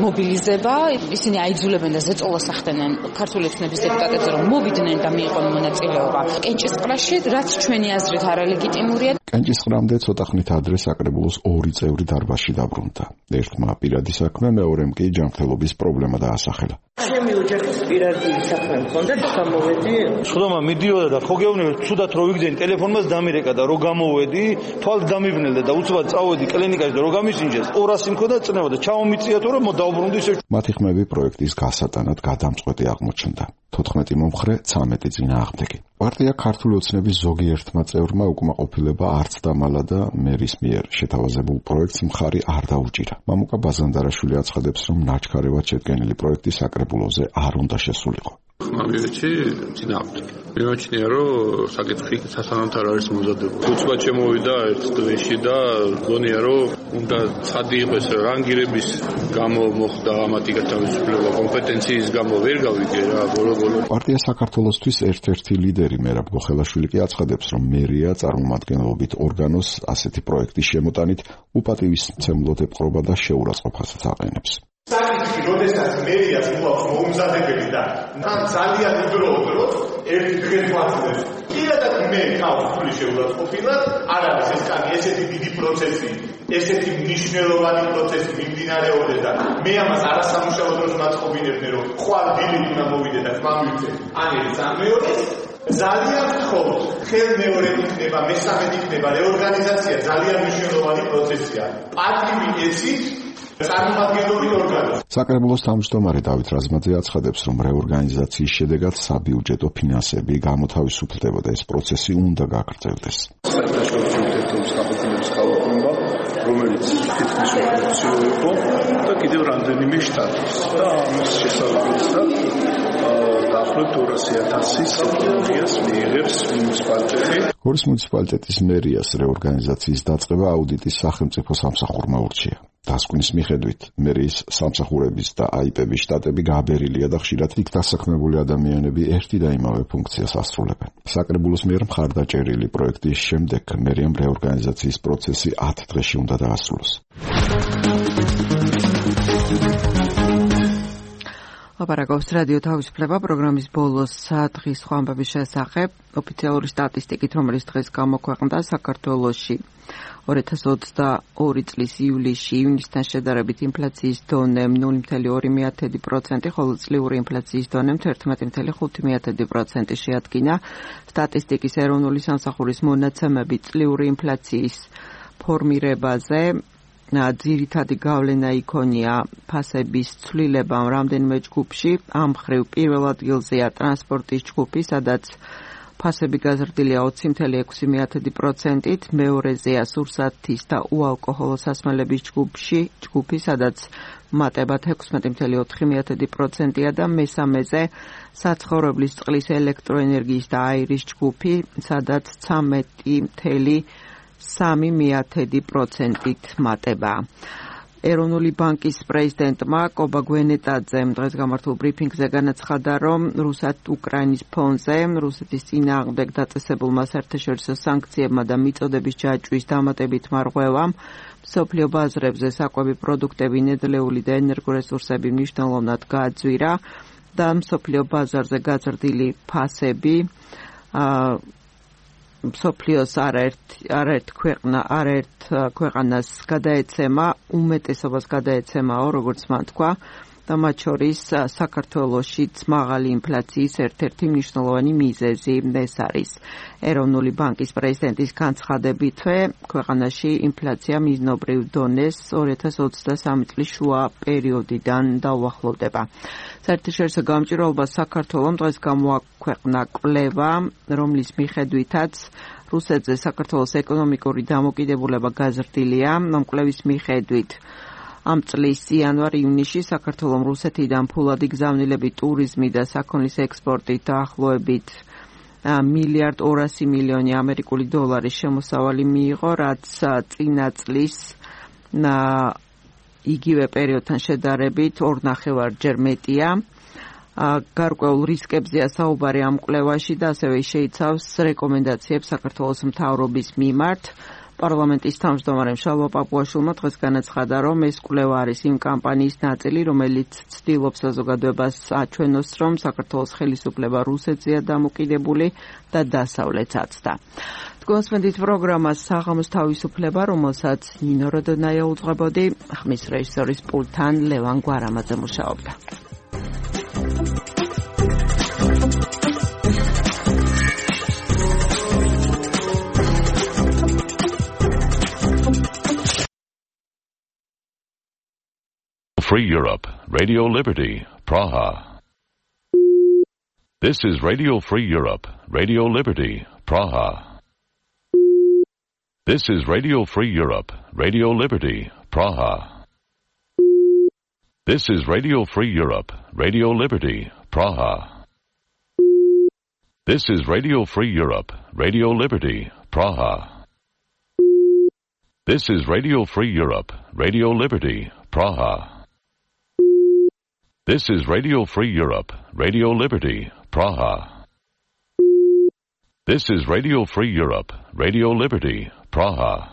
მობილიზება. ისინი აიძულებენ და ზეწოლას ახდენენ ქართული ოცნების დეპუტატებს, რომ მოვიდნენ და მიიღონ მონაწილეობა კენჭისყრაში, რაც ჩვენი აზრით არალეგიტიმურია.
კენჭისყრამდე ცოტა ხნით ადრე საკრებულოს ორი წევრი დარბაზში დაბრუნდა. ერთმა პირადი საქმე, მეორემ კი ჯანმრთელობის პრობლემა დაასახელა.
ჩემი ოჯახის პირადი საქმე მქონდა და გამოვედი.
ხდომა მიდიოდა და ხო გეუბნები, ცუდად რო ვიგძენი, ტელეფონმაც დამირეკა და რო გამოვედი, თვალს დამიბნელდა და უცბად წავედი კლინიკაში და რო გამისინჯეს. 200 მქონდა წნევა და ჩავომიწიათო რომ დავბრუნდი ისე.
მათი ხმები პროექტის გასატანად გადამწყვეტი აღმოჩნდა. 14 მომხრე 13 წინააღმდეგი. პარტია ქართული ოცნების ზოგიერთმა წევრმა უკმაყოფილება არც დამალა და მერის მიერ შეთავაზებულ პროექტს მხარი არ დაუჭირა. მამუკა ბაზანდარაშვილი აცხადებს, რომ ნაჩქარევად შედგენილი პროექტი საკრებულოზე არ უნდა შესულიყო.
ხმამიერთი წინააღმდეგი. მიმაჩნია, რომ საკითხი სასანანად არ არის მოზადებული. უცბად შემოვიდა ერთ დღეში და გონია, რომ უნდა ცხადი იყოს რანგირების გამო მოხდა ამათი გათავისუფლება, კომპეტენციის გამო ვერ გავიგე რა ბოლო-ბოლო.
პარტია საქართველოსთვის ერთ-ერთი ლიდერი მერაბ გოხელაშვილი კი აცხადებს, რომ მერია წარმომადგენლობით ორგანოს ასეთი პროექტის შემოტანით უპატივისმცემლოდ ეპყრობა და შეურაცხყოფასაც აყენებს.
საკითხი, როდესაც მერიას მოაქვს მოუმზადებელი და თან ძალიან უდროოდ ერთი დღეს ვაცდებს. პირადად მე თავს ფული შეურაცხყოფილად არ არის ეს კანი, ესეთი დიდი პროცესი, ესეთი მნიშვნელოვანი პროცესი მიმდინარეობდეს და მე ამას არასამუშაო დროს მაწყობინებდნენ, რომ ხვალ დილით უნდა მოვიდე და ხმამივიდე. ან ეს ამეორეს ძალიან ვთხოვთ, ხელმეორედ იქნება, მესამედ იქნება, რეორგანიზაცია ძალიან მნიშვნელოვანი პროცესია. პარტიული ეცით წარმომადგენლობრივი ორგანო.
საკრებულოს თავმჯდომარე დავით რაზმაძე აცხადებს, რომ რეორგანიზაციის შედეგად საბიუჯეტო ფინანსები გამოთავისუფლდება და ეს პროცესი უნდა გაგრძელდეს.
საერთაშორისო ურთიერთობების გაყოფილების კალკულება, რომელიც თითქმის ოფიციო იყო და კიდევ რამდენიმე შტატის და ამის შესაბამისად დაახლოებით 200,000 ტექნოლოგიას მიიღებს მუნიციპალიტეტი.
გორის მუნიციპალიტეტის მერიას რეორგანიზაციის დაწყება აუდიტის სახელმწიფო სამსახურმა ურჩია. დასკვნის მიხედვით, მერიის სამსახურების და აიპების შტატები გააბერილია და ხშირად იქ დასაქმებული ადამიანები ერთი და იმავე ფუნქციას ასრულებენ. საკრებულოს მიერ მხარდაჭერილი პროექტის შემდეგ მერიამ რეორგანიზაციის პროცესი 10 დღეში უნდა დაასრულოს.
აპარაკობს რადიო თავისუფლება პროგრამის ბოლოს დღის სხვა ამბების შესახებ. ოფიციალური სტატისტიკით, რომელიც დღეს გამოქვეყნდა საქართველოში 2022 წლის ივლისში ივნისთან შედარებით ინფლაციის დონე 0.2%, ხოლო წლიური ინფლაციის დონე 11.5% შეადგინა. სტატისტიკის ეროვნული სამსახურის მონაცემები წლიური ინფლაციის ფორმირებაზე ძირითადი გავლენა იქონია ფასების ცვლილებამ რამდენიმე ჯგუფში. ამ მხრივ პირველ ადგილზეა ტრანსპორტის ჯგუფი, სადაც ფასები გაზრდილია 20.6%-ით, მეორეზეა სურსათის და უალკოჰოლო სასმელების ჯგუფი, სადაც მატება 16.4%-ია და მესამეზე საცხოვრებლის წყლის, ელექტროენერგიის და აირის ჯგუფი, სადაც 13.3%-ით მატება. ეროვნული ბანკის პრეზიდენტმა კობა გვენეტაძემ დღეს გამართულ ბრიფინგზე განაცხადა, რომ რუსეთ-უკრაინის ფონზე რუსეთის წინააღმდეგ დაწესებულმა საერთაშორისო სანქციებმა და მიწოდების ჯაჭვის დამატებითმა რღვევამ მსოფლიო ბაზრებზე საკვები პროდუქტები, ნედლეული და ენერგორესურსები მნიშვნელოვნად გააძვირა და მსოფლიო ბაზარზე გაზრდილი ფასები მსოფლიოს არაერთ ქვეყანას გადაეცემა, უმეტესობას გადაეცემაო, როგორც მან თქვა, და მათ შორის საქართველოშიც მაღალი ინფლაციის ერთ-ერთი მნიშვნელოვანი მიზეზი ეს არის. ეროვნული ბანკის პრეზიდენტის განცხადებითვე, ქვეყანაში ინფლაცია მიზნობრივ დონეს 2023 წლის შუა პერიოდიდან დაუახლოვდება. საერთაშორისო გამჭირვალობას საქართველომ დღეს გამოაქვეყნა კვლევა, რომლის მიხედვითაც რუსეთზე საქართველოს ეკონომიკური დამოკიდებულება გაზრდილია. ამ კვლევის მიხედვით ამ წლის იანვარ-ივნისში საქართველოს რუსეთიდან ფულადი გზავნილები, ტურიზმი და საქონლის ექსპორტი დაახლოებით მილიარდ 200 მილიონი ამერიკული დოლარის შემოსავალი მიიღო, რაც წინა წლის იგივე პერიოდთან შედარებით 2.5-ჯერ მეტია. გარკვეულ რისკებზეა საუბარი ამ კვლევაში და ასევე შეიცავს რეკომენდაციებს საქართველოს მთავრობის მიმართ. პარლამენტის თავმჯდომარემ შალვა პაპუაშვილმა დღეს განაცხადა, რომ ეს კვლევა არის იმ კამპანიის ნაწილი, რომელიც ცდილობს საზოგადოებას აჩვენოს, რომ საქართველოს ხელისუფლება რუსეთზეა დამოკიდებული და დასავლეთსაც და. თქვენსმენდით პროგრამას საღამოს თავისუფლება, რომელსაც ნინო როდონაია უძღვებოდი, ხმის რეჟისორის პულტთან ლევან გვარამაძე მუშაობდა.
Free Europe, Radio Liberty, Praha. This is Radio Free Europe, Radio Liberty, Praha. This is Radio Free Europe, Radio Liberty, Praha. This is Radio Free Europe, Radio Liberty, Praha. This is Radio Free Europe, Radio Liberty, Praha. This is Radio Free Europe, Radio Liberty, Praha. This is Radio Free Europe, Radio Liberty, Praha. This is Radio Free Europe, Radio Liberty, Praha.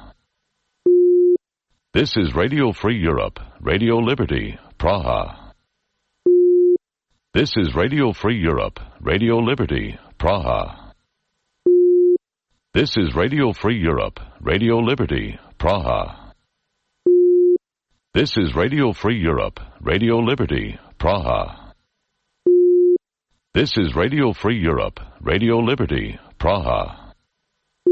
This is Radio Free Europe, Radio Liberty, Praha. This is Radio Free Europe, Radio Liberty, Praha. This is Radio Free Europe, Radio Liberty, Praha. This is Radio Free Europe, Radio Liberty, Praha. This is Radio Free Europe, Radio Liberty, Praha.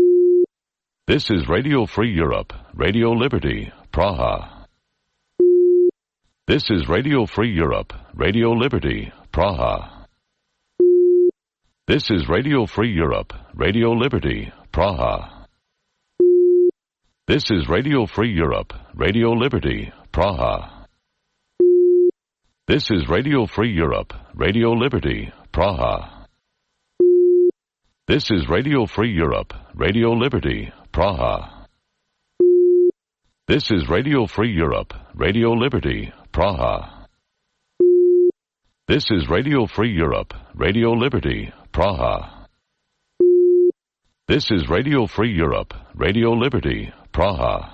This is Radio Free Europe, Radio Liberty, Praha. This is Radio Free Europe, Radio Liberty, Praha. This is Radio Free Europe, Radio Liberty, Praha. This is Radio Free Europe, Radio Liberty, Praha. This is Radio Free Europe, Radio Liberty, Praha. This is Radio Free Europe, Radio Liberty, Praha. This is Radio Free Europe, Radio Liberty, Praha. This is Radio Free Europe, Radio Liberty, Praha.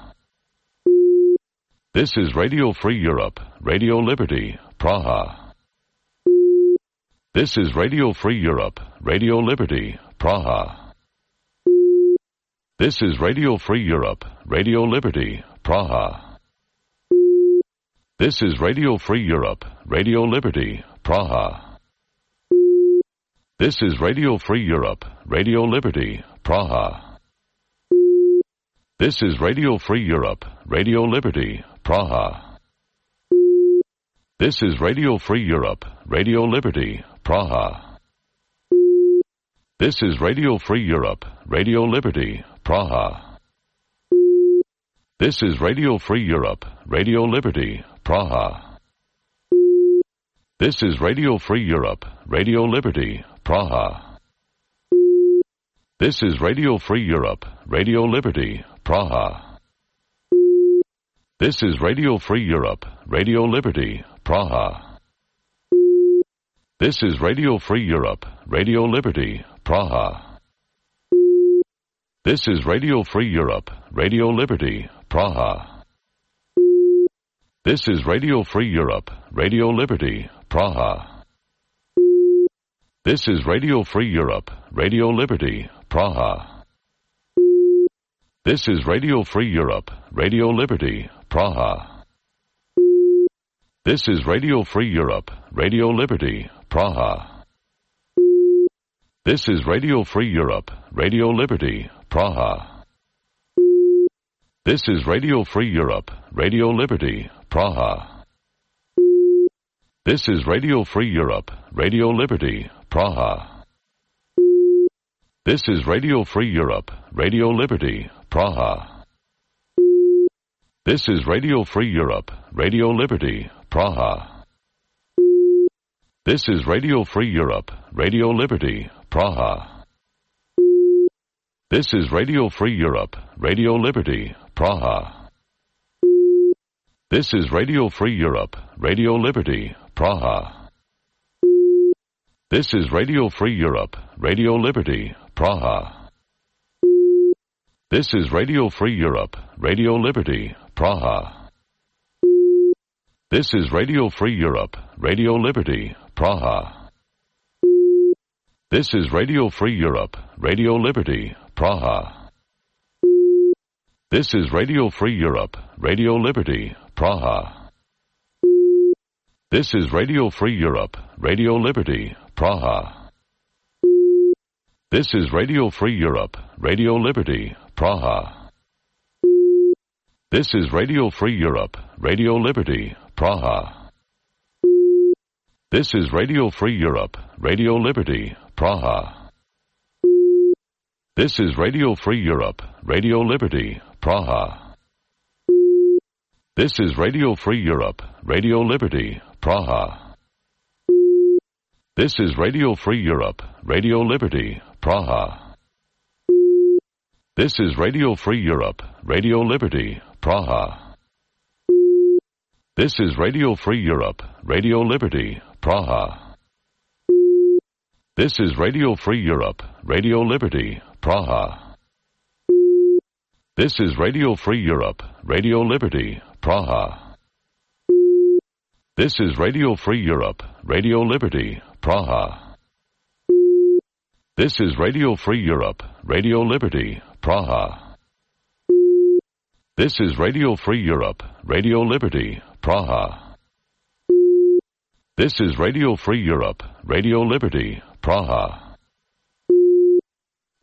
This is Radio Free Europe, Radio Liberty, Praha. This is Radio Free Europe, Radio Liberty, Praha. This is Radio Free Europe, Radio Liberty, Praha. This is Radio Free Europe, Radio Liberty, Praha. This is Radio Free Europe, Radio Liberty, Praha. This is Radio Free Europe, Radio Liberty, Praha. This is Radio Free Europe, Radio Liberty, Praha. This is Radio Free Europe, Radio Liberty, Praha. This is Radio Free Europe, Radio Liberty, Praha. This is Radio Free Europe, Radio Liberty, Praha. This is Radio Free Europe, Radio Liberty, Praha. This is Radio Free Europe, Radio Liberty, Praha. This is Radio Free Europe, Radio Liberty, Praha. This is Radio Free Europe, Radio Liberty, Praha. This is Radio Free Europe, Radio Liberty, Praha. This is Radio Free Europe, Radio Liberty, Praha. This is Radio Free Europe, Radio Liberty, Praha. This is Radio Free Europe, Radio Liberty, Praha. This is Radio Free Europe, Radio Liberty, Praha. This is Radio Free Europe, Radio Liberty, Praha. This is Radio Free Europe, Radio Liberty, Praha. This is Radio Free Europe, Radio Liberty, Praha. This is Radio Free Europe, Radio Liberty, Praha. This is Radio Free Europe, Radio Liberty, Praha. This is Radio Free Europe, Radio Liberty, Praha. This is Radio Free Europe, Radio Liberty, Praha. This is Radio Free Europe, Radio Liberty, Praha. This is Radio Free Europe, Radio Liberty, Praha. This is Radio Free Europe, Radio Liberty, Praha. This is Radio Free Europe, Radio Liberty, Praha. This is Radio Free Europe, Radio Liberty, Praha. This is Radio Free Europe, Radio Liberty, Praha. This is Radio Free Europe, Radio Liberty, Praha. This is Radio Free Europe, Radio Liberty, Praha. This is Radio Free Europe, Radio Liberty, Praha. This is Radio Free Europe, Radio Liberty, Praha. This is Radio Free Europe, Radio Liberty, Praha. This is Radio Free Europe, Radio Liberty, Praha. This is Radio Free Europe, Radio Liberty, Praha. This is Radio Free Europe, Radio Liberty, Praha. This is Radio Free Europe, Radio Liberty, Praha. This is Radio Free Europe, Radio Liberty, Praha. This is Radio Free Europe, Radio Liberty, Praha. This is Radio Free Europe, Radio Liberty, Praha. This is Radio Free Europe, Radio Liberty, Praha. This is Radio Free Europe, Radio Liberty, Praha. This is Radio Free Europe, Radio Liberty, Praha.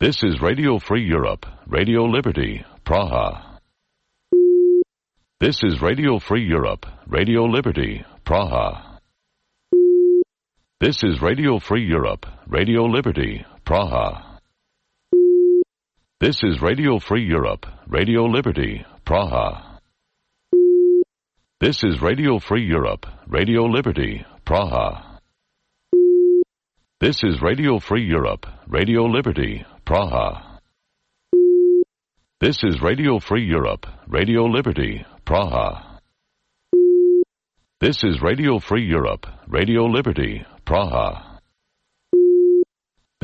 This is Radio Free Europe, Radio Liberty, Praha. This is Radio Free Europe, Radio Liberty, Praha. This is Radio Free Europe, Radio Liberty, Praha. This is Radio Free Europe, Radio Liberty, Praha. This is Radio Free Europe, Radio Liberty, Praha. This is Radio Free Europe, Radio Liberty, Praha. This is Radio Free Europe, Radio Liberty, Praha. This is Radio Free Europe, Radio Liberty, Praha.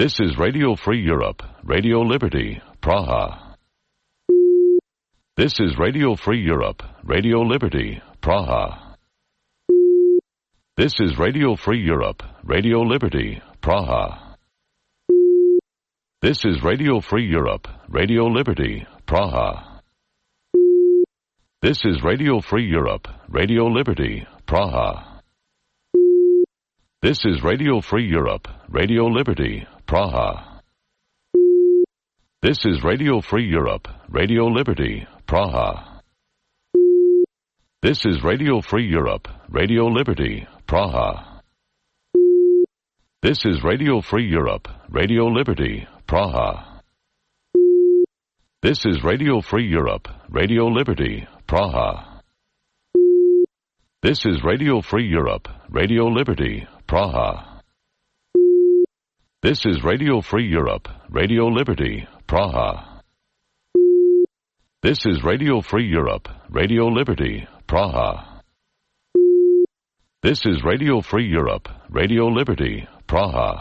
This is Radio Free Europe, Radio Liberty, Praha. This is Radio Free Europe, Radio Liberty, Praha. This is Radio Free Europe, Radio Liberty, Praha. This is Radio Free Europe, Radio Liberty, Praha. This is Radio Free Europe, Radio Liberty, Praha. This is Radio Free Europe, Radio Liberty, Praha. This is Radio Free Europe, Radio Liberty, Praha. This is Radio Free Europe, Radio Liberty, Praha. This is Radio Free Europe, Radio Liberty, Praha. This is Radio Free Europe, Radio Liberty, Praha. This is Radio Free Europe, Radio Liberty, Praha. This is Radio Free Europe, Radio Liberty, Praha. This is Radio Free Europe, Radio Liberty, Praha. This is Radio Free Europe, Radio Liberty, Praha.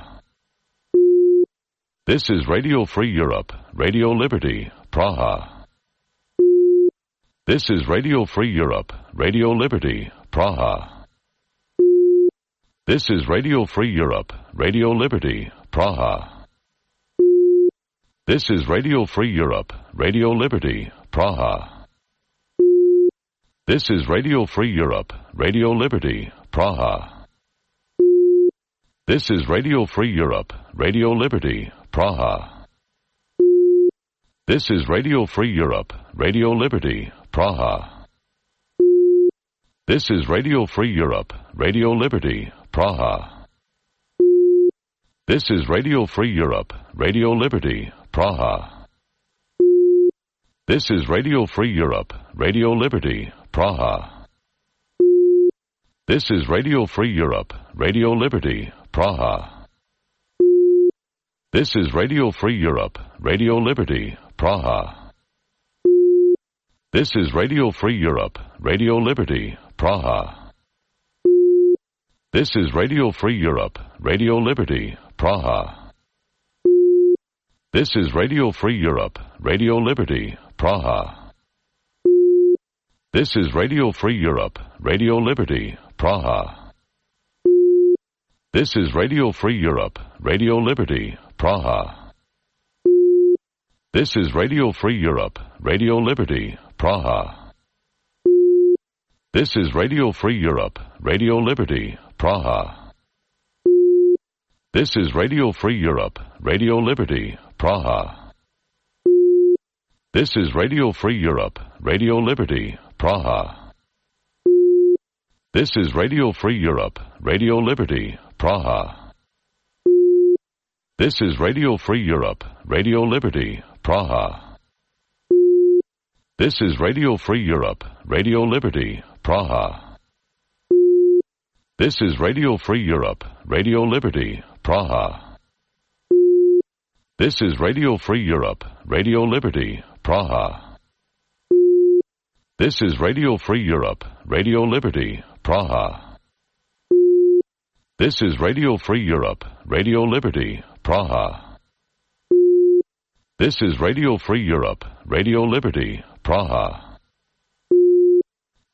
This is Radio Free Europe, Radio Liberty, Praha. This is Radio Free Europe, Radio Liberty, Praha. This is Radio Free Europe, Radio Liberty, Praha. This is Radio Free Europe, Radio Liberty, Praha. This is Radio Free Europe, Radio Liberty, Praha. This is Radio Free Europe, Radio Liberty, Praha. This is Radio Free Europe, Radio Liberty, Praha. This is Radio Free Europe, Radio Liberty, Praha. This is Radio Free Europe, Radio Liberty, Praha. This is Radio Free Europe, Radio Liberty, Praha. This is Radio Free Europe, Radio Liberty, Praha. This is Radio Free Europe, Radio Liberty, Praha. This is Radio Free Europe, Radio Liberty, Praha. This is Radio Free Europe, Radio Liberty, Praha. This is Radio Free Europe, Radio Liberty, Praha. This is Radio Free Europe, Radio Liberty, Praha. This is Radio Free Europe, Radio Liberty, Praha. This is Radio Free Europe, Radio Liberty, Praha. This is Radio Free Europe, Radio Liberty, Praha. This is Radio Free Europe, Radio Liberty, Praha. This is Radio Free Europe, Radio Liberty, Praha. This is Radio Free Europe, Radio Liberty, Praha. This is Radio Free Europe, Radio Liberty, Praha. This is Radio Free Europe, Radio Liberty, Praha. This is Radio Free Europe, Radio Liberty, Praha. This is Radio Free Europe, Radio Liberty, Praha. This is Radio Free Europe, Radio Liberty, Praha. This is Radio Free Europe, Radio Liberty, Praha. This is Radio Free Europe, Radio Liberty, Praha.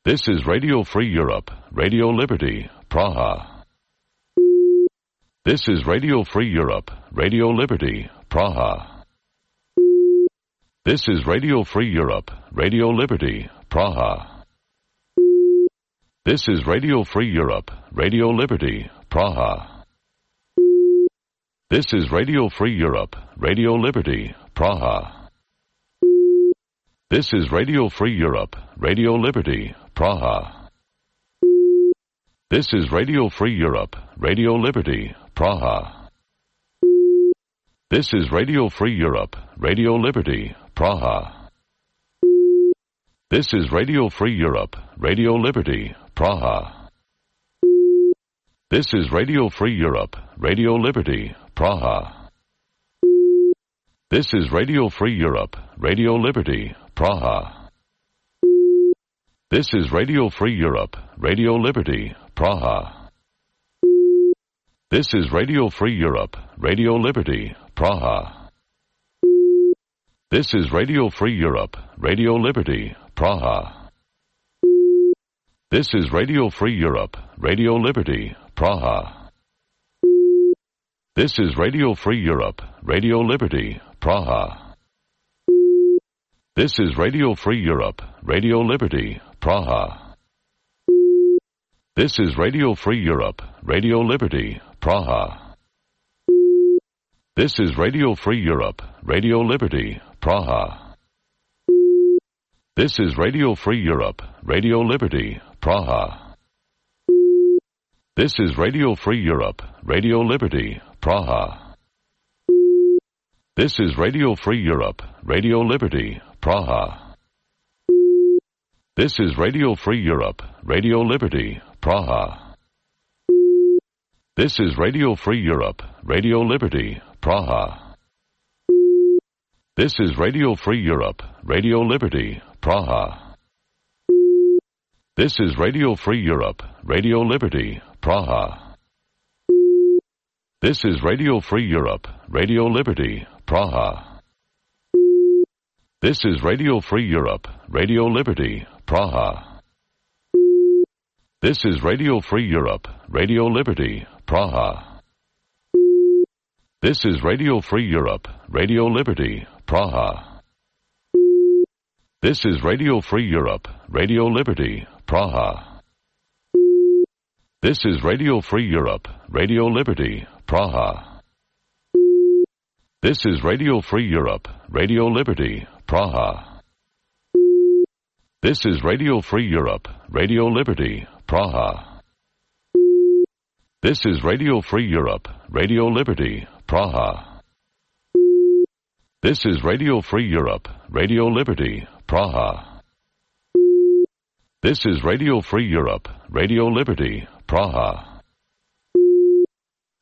This is Radio Free Europe, Radio Liberty, Praha. This is Radio Free Europe, Radio Liberty, Praha. This is Radio Free Europe, Radio Liberty, Praha. This is Radio Free Europe, Radio Liberty, Praha. This is Radio Free Europe, Radio Liberty, Praha. This is Radio Free Europe, Radio Liberty, Praha. This is Radio Free Europe, Radio Liberty, Praha. This is Radio Free Europe, Radio Liberty, Praha. This is Radio Free Europe, Radio Liberty, Praha. This is Radio Free Europe, Radio Liberty, Praha. This is Radio Free Europe, Radio Liberty, Praha. This is Radio Free Europe, Radio Liberty, Praha. This is Radio Free Europe, Radio Liberty, Praha. This is Radio Free Europe, Radio Liberty, Praha. This is Radio Free Europe, Radio Liberty, Praha. This is Radio Free Europe, Radio Liberty, Praha. This is Radio Free Europe, Radio Liberty, Praha. This is Radio Free Europe, Radio Liberty, Praha. This is Radio Free Europe, Radio Liberty, Praha. This is Radio Free Europe, Radio Liberty, Praha. This is Radio Free Europe, Radio Liberty, Praha. This is Radio Free Europe, Radio Liberty, Praha. This is Radio Free Europe, Radio Liberty, Praha. This is Radio Free Europe, Radio Liberty, Praha. This is Radio Free Europe, Radio Liberty, Praha. This is Radio Free Europe, Radio Liberty, Praha. This is Radio Free Europe, Radio Liberty, Praha. This is Radio Free Europe, Radio Liberty, Praha. This is Radio Free Europe, Radio Liberty, Praha. This is Radio Free Europe, Radio Liberty, Praha. This is Radio Free Europe, Radio Liberty, Praha. This is Radio Free Europe, Radio Liberty, Praha. This is Radio Free Europe, Radio Liberty, Praha. This is Radio Free Europe, Radio Liberty, Praha. This is Radio Free Europe, Radio Liberty, Praha. This is Radio Free Europe, Radio Liberty, Praha. This is Radio Free Europe, Radio Liberty, Praha.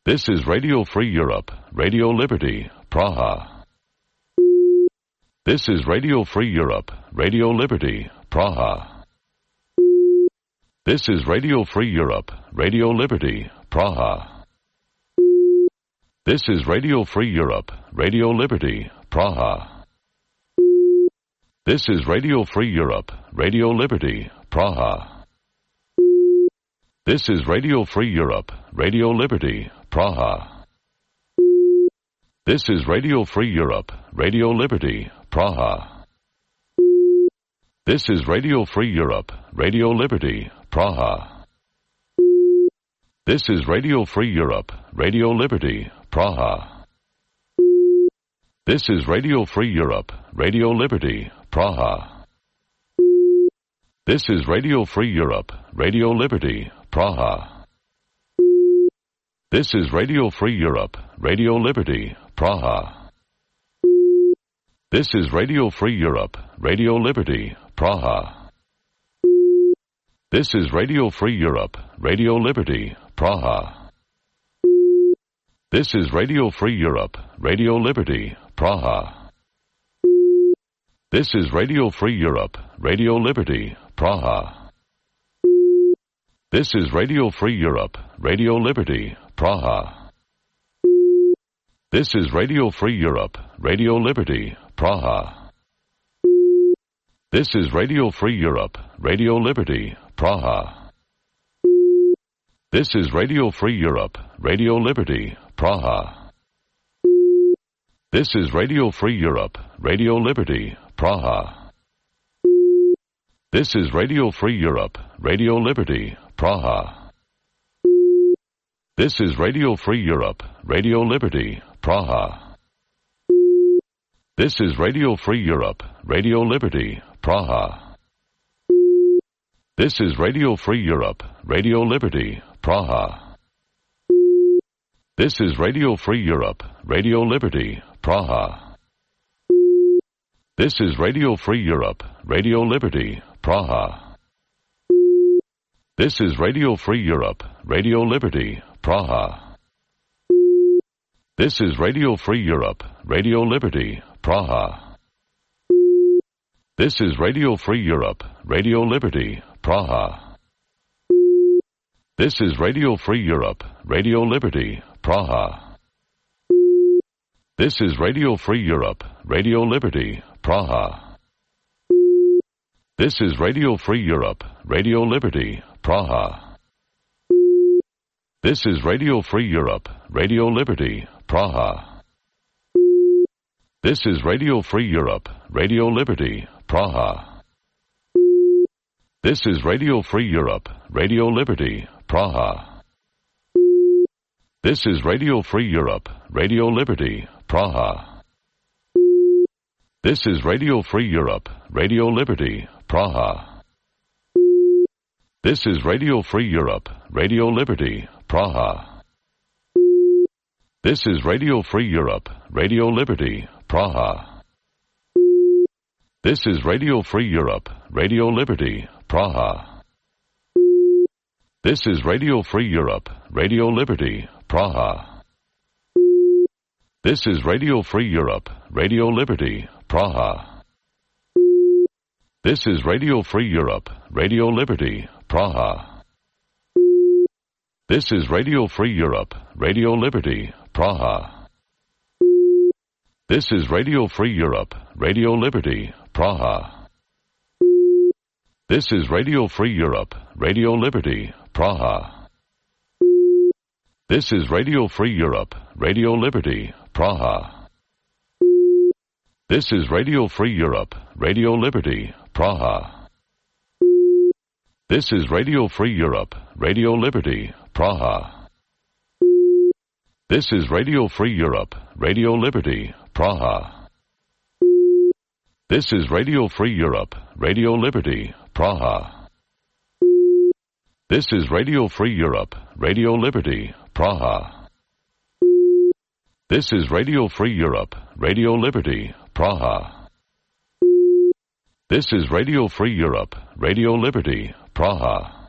This is Radio Free Europe, Radio Liberty, Praha. This is Radio Free Europe, Radio Liberty, Praha. This is Radio Free Europe, Radio Liberty, Praha. This is Radio Free Europe, Radio Liberty, Praha. This is Radio Free Europe, Radio Liberty, Praha. This is Radio Free Europe, Radio Liberty, Praha. This is Radio Free Europe, Radio Liberty, Praha. This is Radio Free Europe, Radio Liberty, Praha. This is Radio Free Europe, Radio Liberty, Praha. This is Radio Free Europe, Radio Liberty, Praha. This is Radio Free Europe, Radio Liberty, Praha. This is Radio Free Europe, Radio Liberty, Praha. This is Radio Free Europe, Radio Liberty, Praha. This is Radio Free Europe, Radio Liberty, Praha. This is Radio Free Europe, Radio Liberty, Praha. This is Radio Free Europe, Radio Liberty, Praha. This is Radio Free Europe, Radio Liberty, Praha. This is Radio Free Europe, Radio Liberty, Praha. This is Radio Free Europe, Radio Liberty, Praha. This is Radio Free Europe, Radio Liberty, Praha. This is Radio Free Europe, Radio Liberty, Praha. This is Radio Free Europe, Radio Liberty, Praha. This is Radio Free Europe, Radio Liberty, Praha. This is Radio Free Europe, Radio Liberty, Praha. This is Radio Free Europe, Radio Liberty, Praha. This is Radio Free Europe, Radio Liberty, Praha. This is Radio Free Europe, Radio Liberty, Praha. This is Radio Free Europe, Radio Liberty, Praha. This is Radio Free Europe, Radio Liberty, Praha. This is Radio Free Europe, Radio Liberty, Praha. This is Radio Free Europe, Radio Liberty, Praha. This is Radio Free Europe, Radio Liberty, Praha. This is Radio Free Europe, Radio Liberty, Praha. This is Radio Free Europe, Radio Liberty, Praha. This is Radio Free Europe, Radio Liberty, Praha. This is Radio Free Europe, Radio Liberty, Praha. This is Radio Free Europe, Radio Liberty, Praha. This is Radio Free Europe, Radio Liberty, Praha. This is Radio Free Europe, Radio Liberty, Praha. This is Radio Free Europe, Radio Liberty, Praha. This is Radio Free Europe, Radio Liberty, Praha. This is Radio Free Europe, Radio Liberty, Praha. This is Radio Free Europe, Radio Liberty, Praha. This is Radio Free Europe, Radio Liberty, Praha. This is Radio Free Europe, Radio Liberty, Praha. This is Radio Free Europe, Radio Liberty, Praha. This is Radio Free Europe, Radio Liberty, Praha. This is Radio Free Europe, Radio Liberty, Praha. This is Radio Free Europe, Radio Liberty, Praha. This is Radio Free Europe, Radio Liberty, Praha. This is Radio Free Europe, Radio Liberty, Praha. This is Radio Free Europe, Radio Liberty, Praha. This is Radio Free Europe, Radio Liberty, Praha. This is Radio Free Europe, Radio Liberty, Praha. This is Radio Free Europe, Radio Liberty, Praha.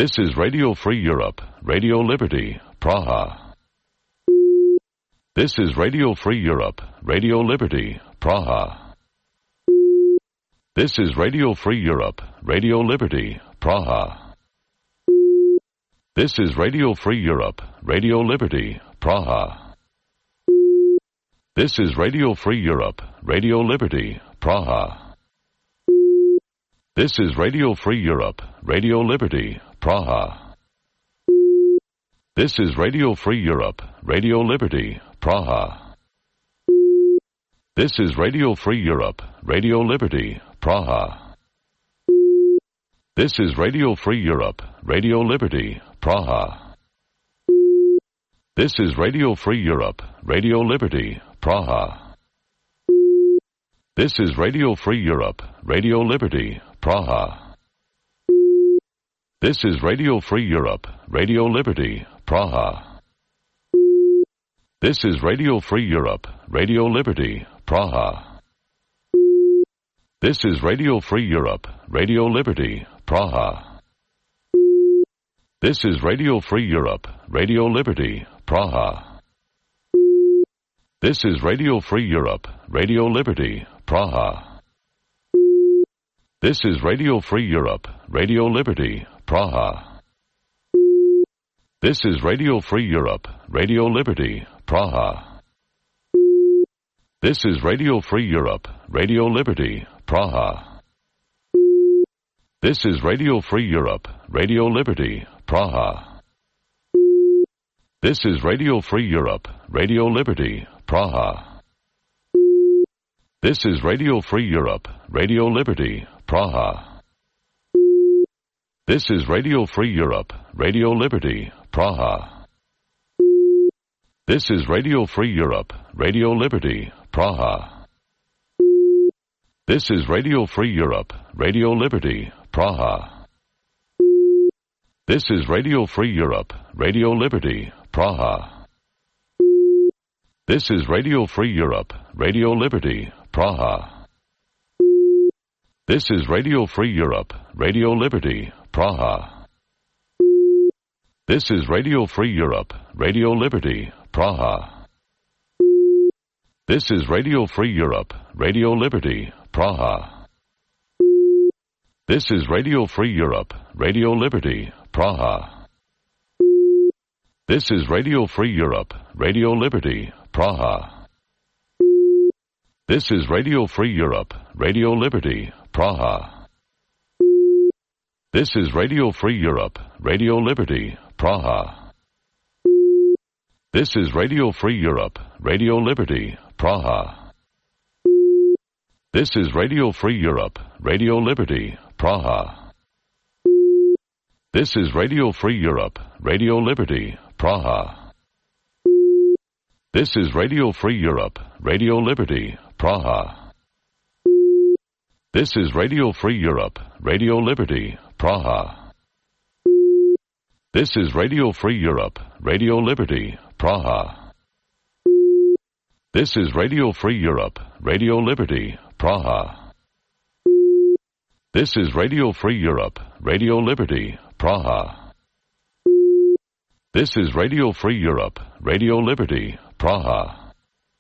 This is Radio Free Europe, Radio Liberty, Praha. This is Radio Free Europe, Radio Liberty, Praha. This is Radio Free Europe, Radio Liberty, Praha. This is Radio Free Europe, Radio Liberty, Praha. This is Radio Free Europe, Radio Liberty, Praha. This is Radio Free Europe, Radio Liberty, Praha. This is Radio Free Europe, Radio Liberty, Praha. This is Radio Free Europe, Radio Liberty, Praha. This is Radio Free Europe, Radio Liberty, Praha. This is Radio Free Europe, Radio Liberty, Praha. This is Radio Free Europe, Radio Liberty, Praha. This is Radio Free Europe, Radio Liberty, Praha. This is Radio Free Europe, Radio Liberty, Praha. This is Radio Free Europe, Radio Liberty, Praha. This is Radio Free Europe, Radio Liberty, Praha. This is Radio Free Europe, Radio Liberty, Praha. This is Radio Free Europe, Radio Liberty, Praha. This is Radio Free Europe, Radio Liberty, Praha. This is Radio Free Europe, Radio Liberty, Praha. This is Radio Free Europe, Radio Liberty, Praha. This is Radio Free Europe, Radio Liberty, Praha. This is Radio Free Europe, Radio Liberty, Praha. This is Radio Free Europe, Radio Liberty, Praha. This is Radio Free Europe, Radio Liberty, Praha. This is Radio Free Europe, Radio Liberty, Praha. This is Radio Free Europe, Radio Liberty, Praha. This is Radio Free Europe, Radio Liberty, Praha. This is Radio Free Europe, Radio Liberty, Praha. This is Radio Free Europe, Radio Liberty, Praha. This is Radio Free Europe, Radio Liberty, Praha. This is Radio Free Europe, Radio Liberty, Praha. This is Radio Free Europe, Radio Liberty, Praha. This is Radio Free Europe, Radio Liberty, Praha. This is Radio Free Europe, Radio Liberty, Praha. This is Radio Free Europe, Radio Liberty, Praha. This is Radio Free Europe, Radio Liberty, Praha. This is Radio Free Europe, Radio Liberty, Praha. This is Radio Free Europe, Radio Liberty, Praha. This is Radio Free Europe, Radio Liberty, Praha. This is Radio Free Europe, Radio Liberty, Praha. This is Radio Free Europe, Radio Liberty, Praha. This is Radio Free Europe, Radio Liberty, Praha. This is Radio Free Europe, Radio Liberty,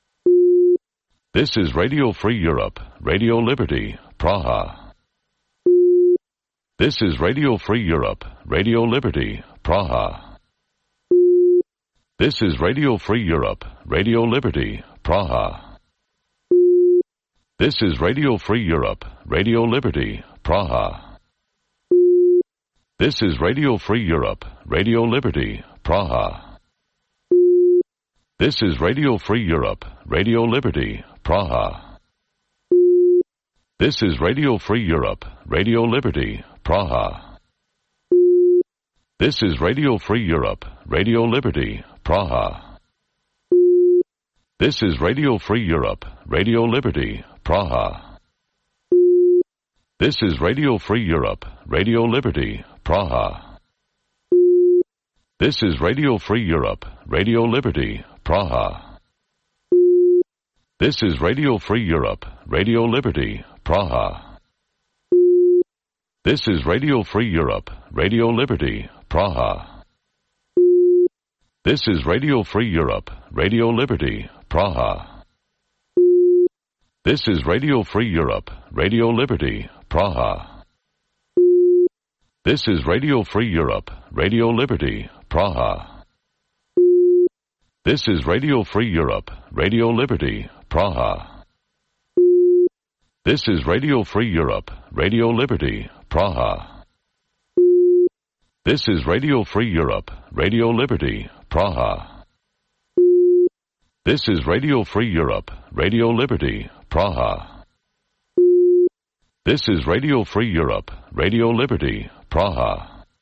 Praha. This is Radio Free Europe, Radio Liberty, Praha. This is Radio Free Europe, Radio Liberty, Praha. This is Radio Free Europe, Radio Liberty, Praha. This is Radio Free Europe, Radio Liberty, Praha. This is Radio Free Europe, Radio Liberty, Praha. This is Radio Free Europe, Radio Liberty, Praha. This is Radio Free Europe, Radio Liberty, Praha. This is Radio Free Europe, Radio Liberty, Praha. This is Radio Free Europe, Radio Liberty, Praha. This is Radio Free Europe, Radio Liberty, Praha. This is Radio Free Europe, Radio Liberty, Praha. This is Radio Free Europe, Radio Liberty, Praha. This is Radio Free Europe, Radio Liberty, Praha. This is Radio Free Europe, Radio Liberty, Praha. This is Radio Free Europe, Radio Liberty, Praha. This is Radio Free Europe, Radio Liberty, Praha. This is Radio Free Europe, Radio Liberty, Praha. This is Radio Free Europe, Radio Liberty, Praha. This is Radio Free Europe, Radio Liberty, Praha. This is Radio Free Europe, Radio Liberty, Praha. This is Radio Free Europe, Radio Liberty, Praha.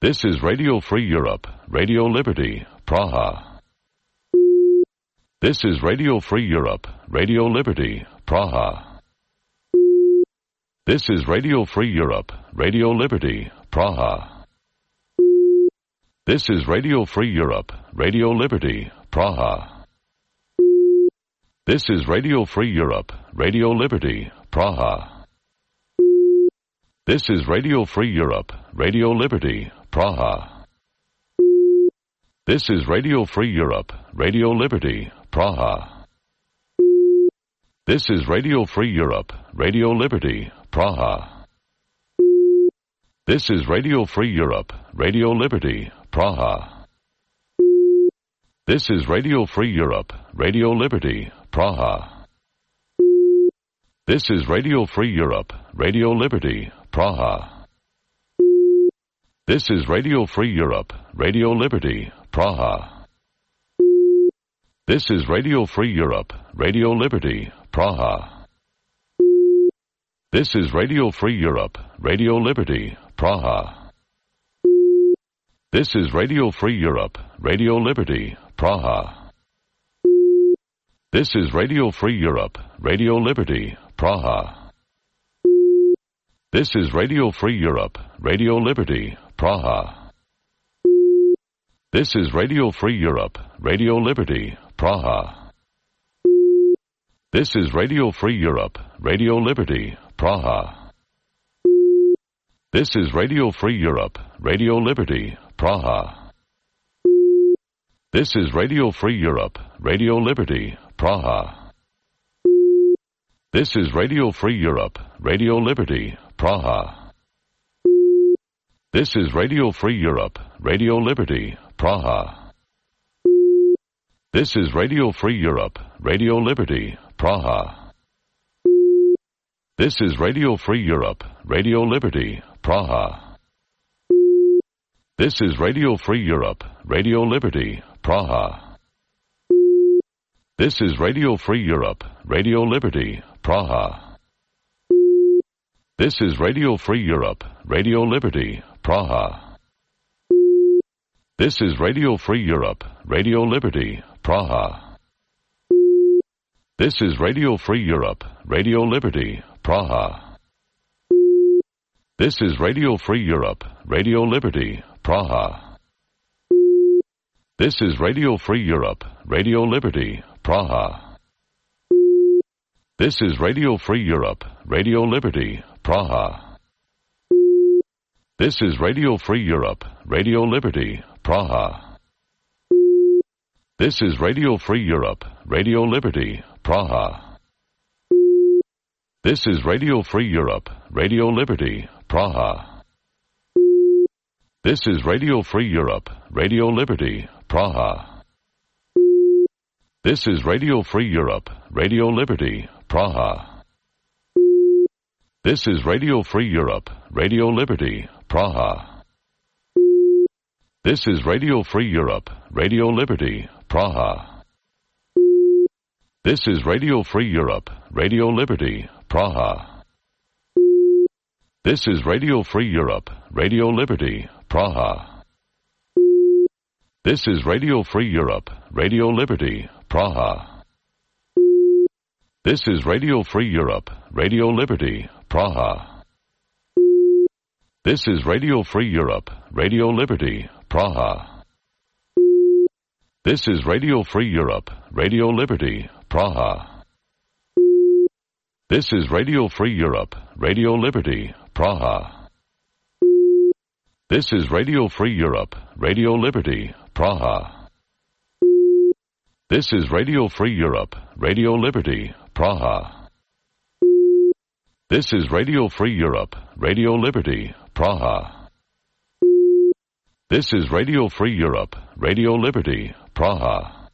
This is Radio Free Europe, Radio Liberty, Praha. This is Radio Free Europe, Radio Liberty, Praha. This is Radio Free Europe, Radio Liberty, Praha. This is Radio Free Europe, Radio Liberty, Praha. This is Radio Free Europe, Radio Liberty, Praha. This is Radio Free Europe, Radio Liberty, Praha. This is Radio Free Europe, Radio Liberty, Praha. This is Radio Free Europe, Radio Liberty, Praha. This is Radio Free Europe, Radio Liberty, Praha. This is Radio Free Europe, Radio Liberty, Praha. This is Radio Free Europe, Radio Liberty, Praha. This is Radio Free Europe, Radio Liberty, Praha. This is Radio Free Europe, Radio Liberty, Praha. This is Radio Free Europe, Radio Liberty, Praha. This is Radio Free Europe, Radio Liberty, Praha. This is Radio Free Europe, Radio Liberty, Praha. This is Radio Free Europe, Radio Liberty, Praha. This is Radio Free Europe, Radio Liberty, Praha. This is Radio Free Europe, Radio Liberty, Praha. This is Radio Free Europe, Radio Liberty, Praha. This is Radio Free Europe, Radio Liberty, Praha. This is Radio Free Europe, Radio Liberty, Praha. This is Radio Free Europe, Radio Liberty, Praha. This is Radio Free Europe, Radio Liberty, Praha. This is Radio Free Europe, Radio Liberty, Praha. This is Radio Free Europe, Radio Liberty, Praha. This is Radio Free Europe, Radio Liberty, Praha. This is Radio Free Europe, Radio Liberty, Praha. This is Radio Free Europe, Radio Liberty, Praha. This is Radio Free Europe, Radio Liberty, Praha. This is Radio Free Europe, Radio Liberty, Praha. This is Radio Free Europe, Radio Liberty, Praha. This is Radio Free Europe, Radio Liberty, Praha. This is Radio Free Europe, Radio Liberty, Praha. This is Radio Free Europe, Radio Liberty, Praha. This is Radio Free Europe, Radio Liberty, Praha. This is Radio Free Europe, Radio Liberty, Praha. This is Radio Free Europe, Radio Liberty, Praha. This is Radio Free Europe, Radio Liberty, Praha. This is Radio Free Europe, Radio Liberty, Praha. This is Radio Free Europe, Radio Liberty, Praha. This is Radio Free Europe, Radio Liberty, Praha. This is Radio Free Europe, Radio Liberty, Praha. This is Radio Free Europe, Radio Liberty, Praha. This is Radio Free Europe, Radio Liberty, Praha. This is Radio Free Europe, Radio Liberty, Praha. This is Radio Free Europe, Radio Liberty, Praha. This is Radio Free Europe, Radio Liberty, Praha. This is Radio Free Europe, Radio Liberty, Praha. This is Radio Free Europe, Radio Liberty, Praha. This is Radio Free Europe, Radio Liberty, Praha.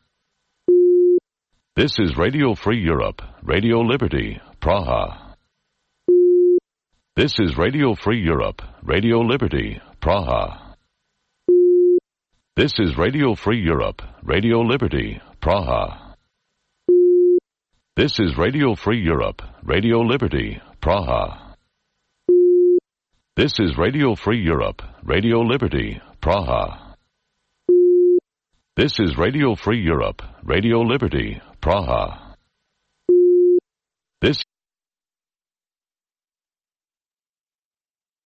This is Radio Free Europe, Radio Liberty, Praha. This is Radio Free Europe, Radio Liberty, Praha. This is Radio Free Europe, Radio Liberty, Praha. This is Radio Free Europe, Radio Liberty, Praha. This is Radio Free Europe, Radio Liberty, Praha. This is Radio Free Europe, Radio Liberty, Praha.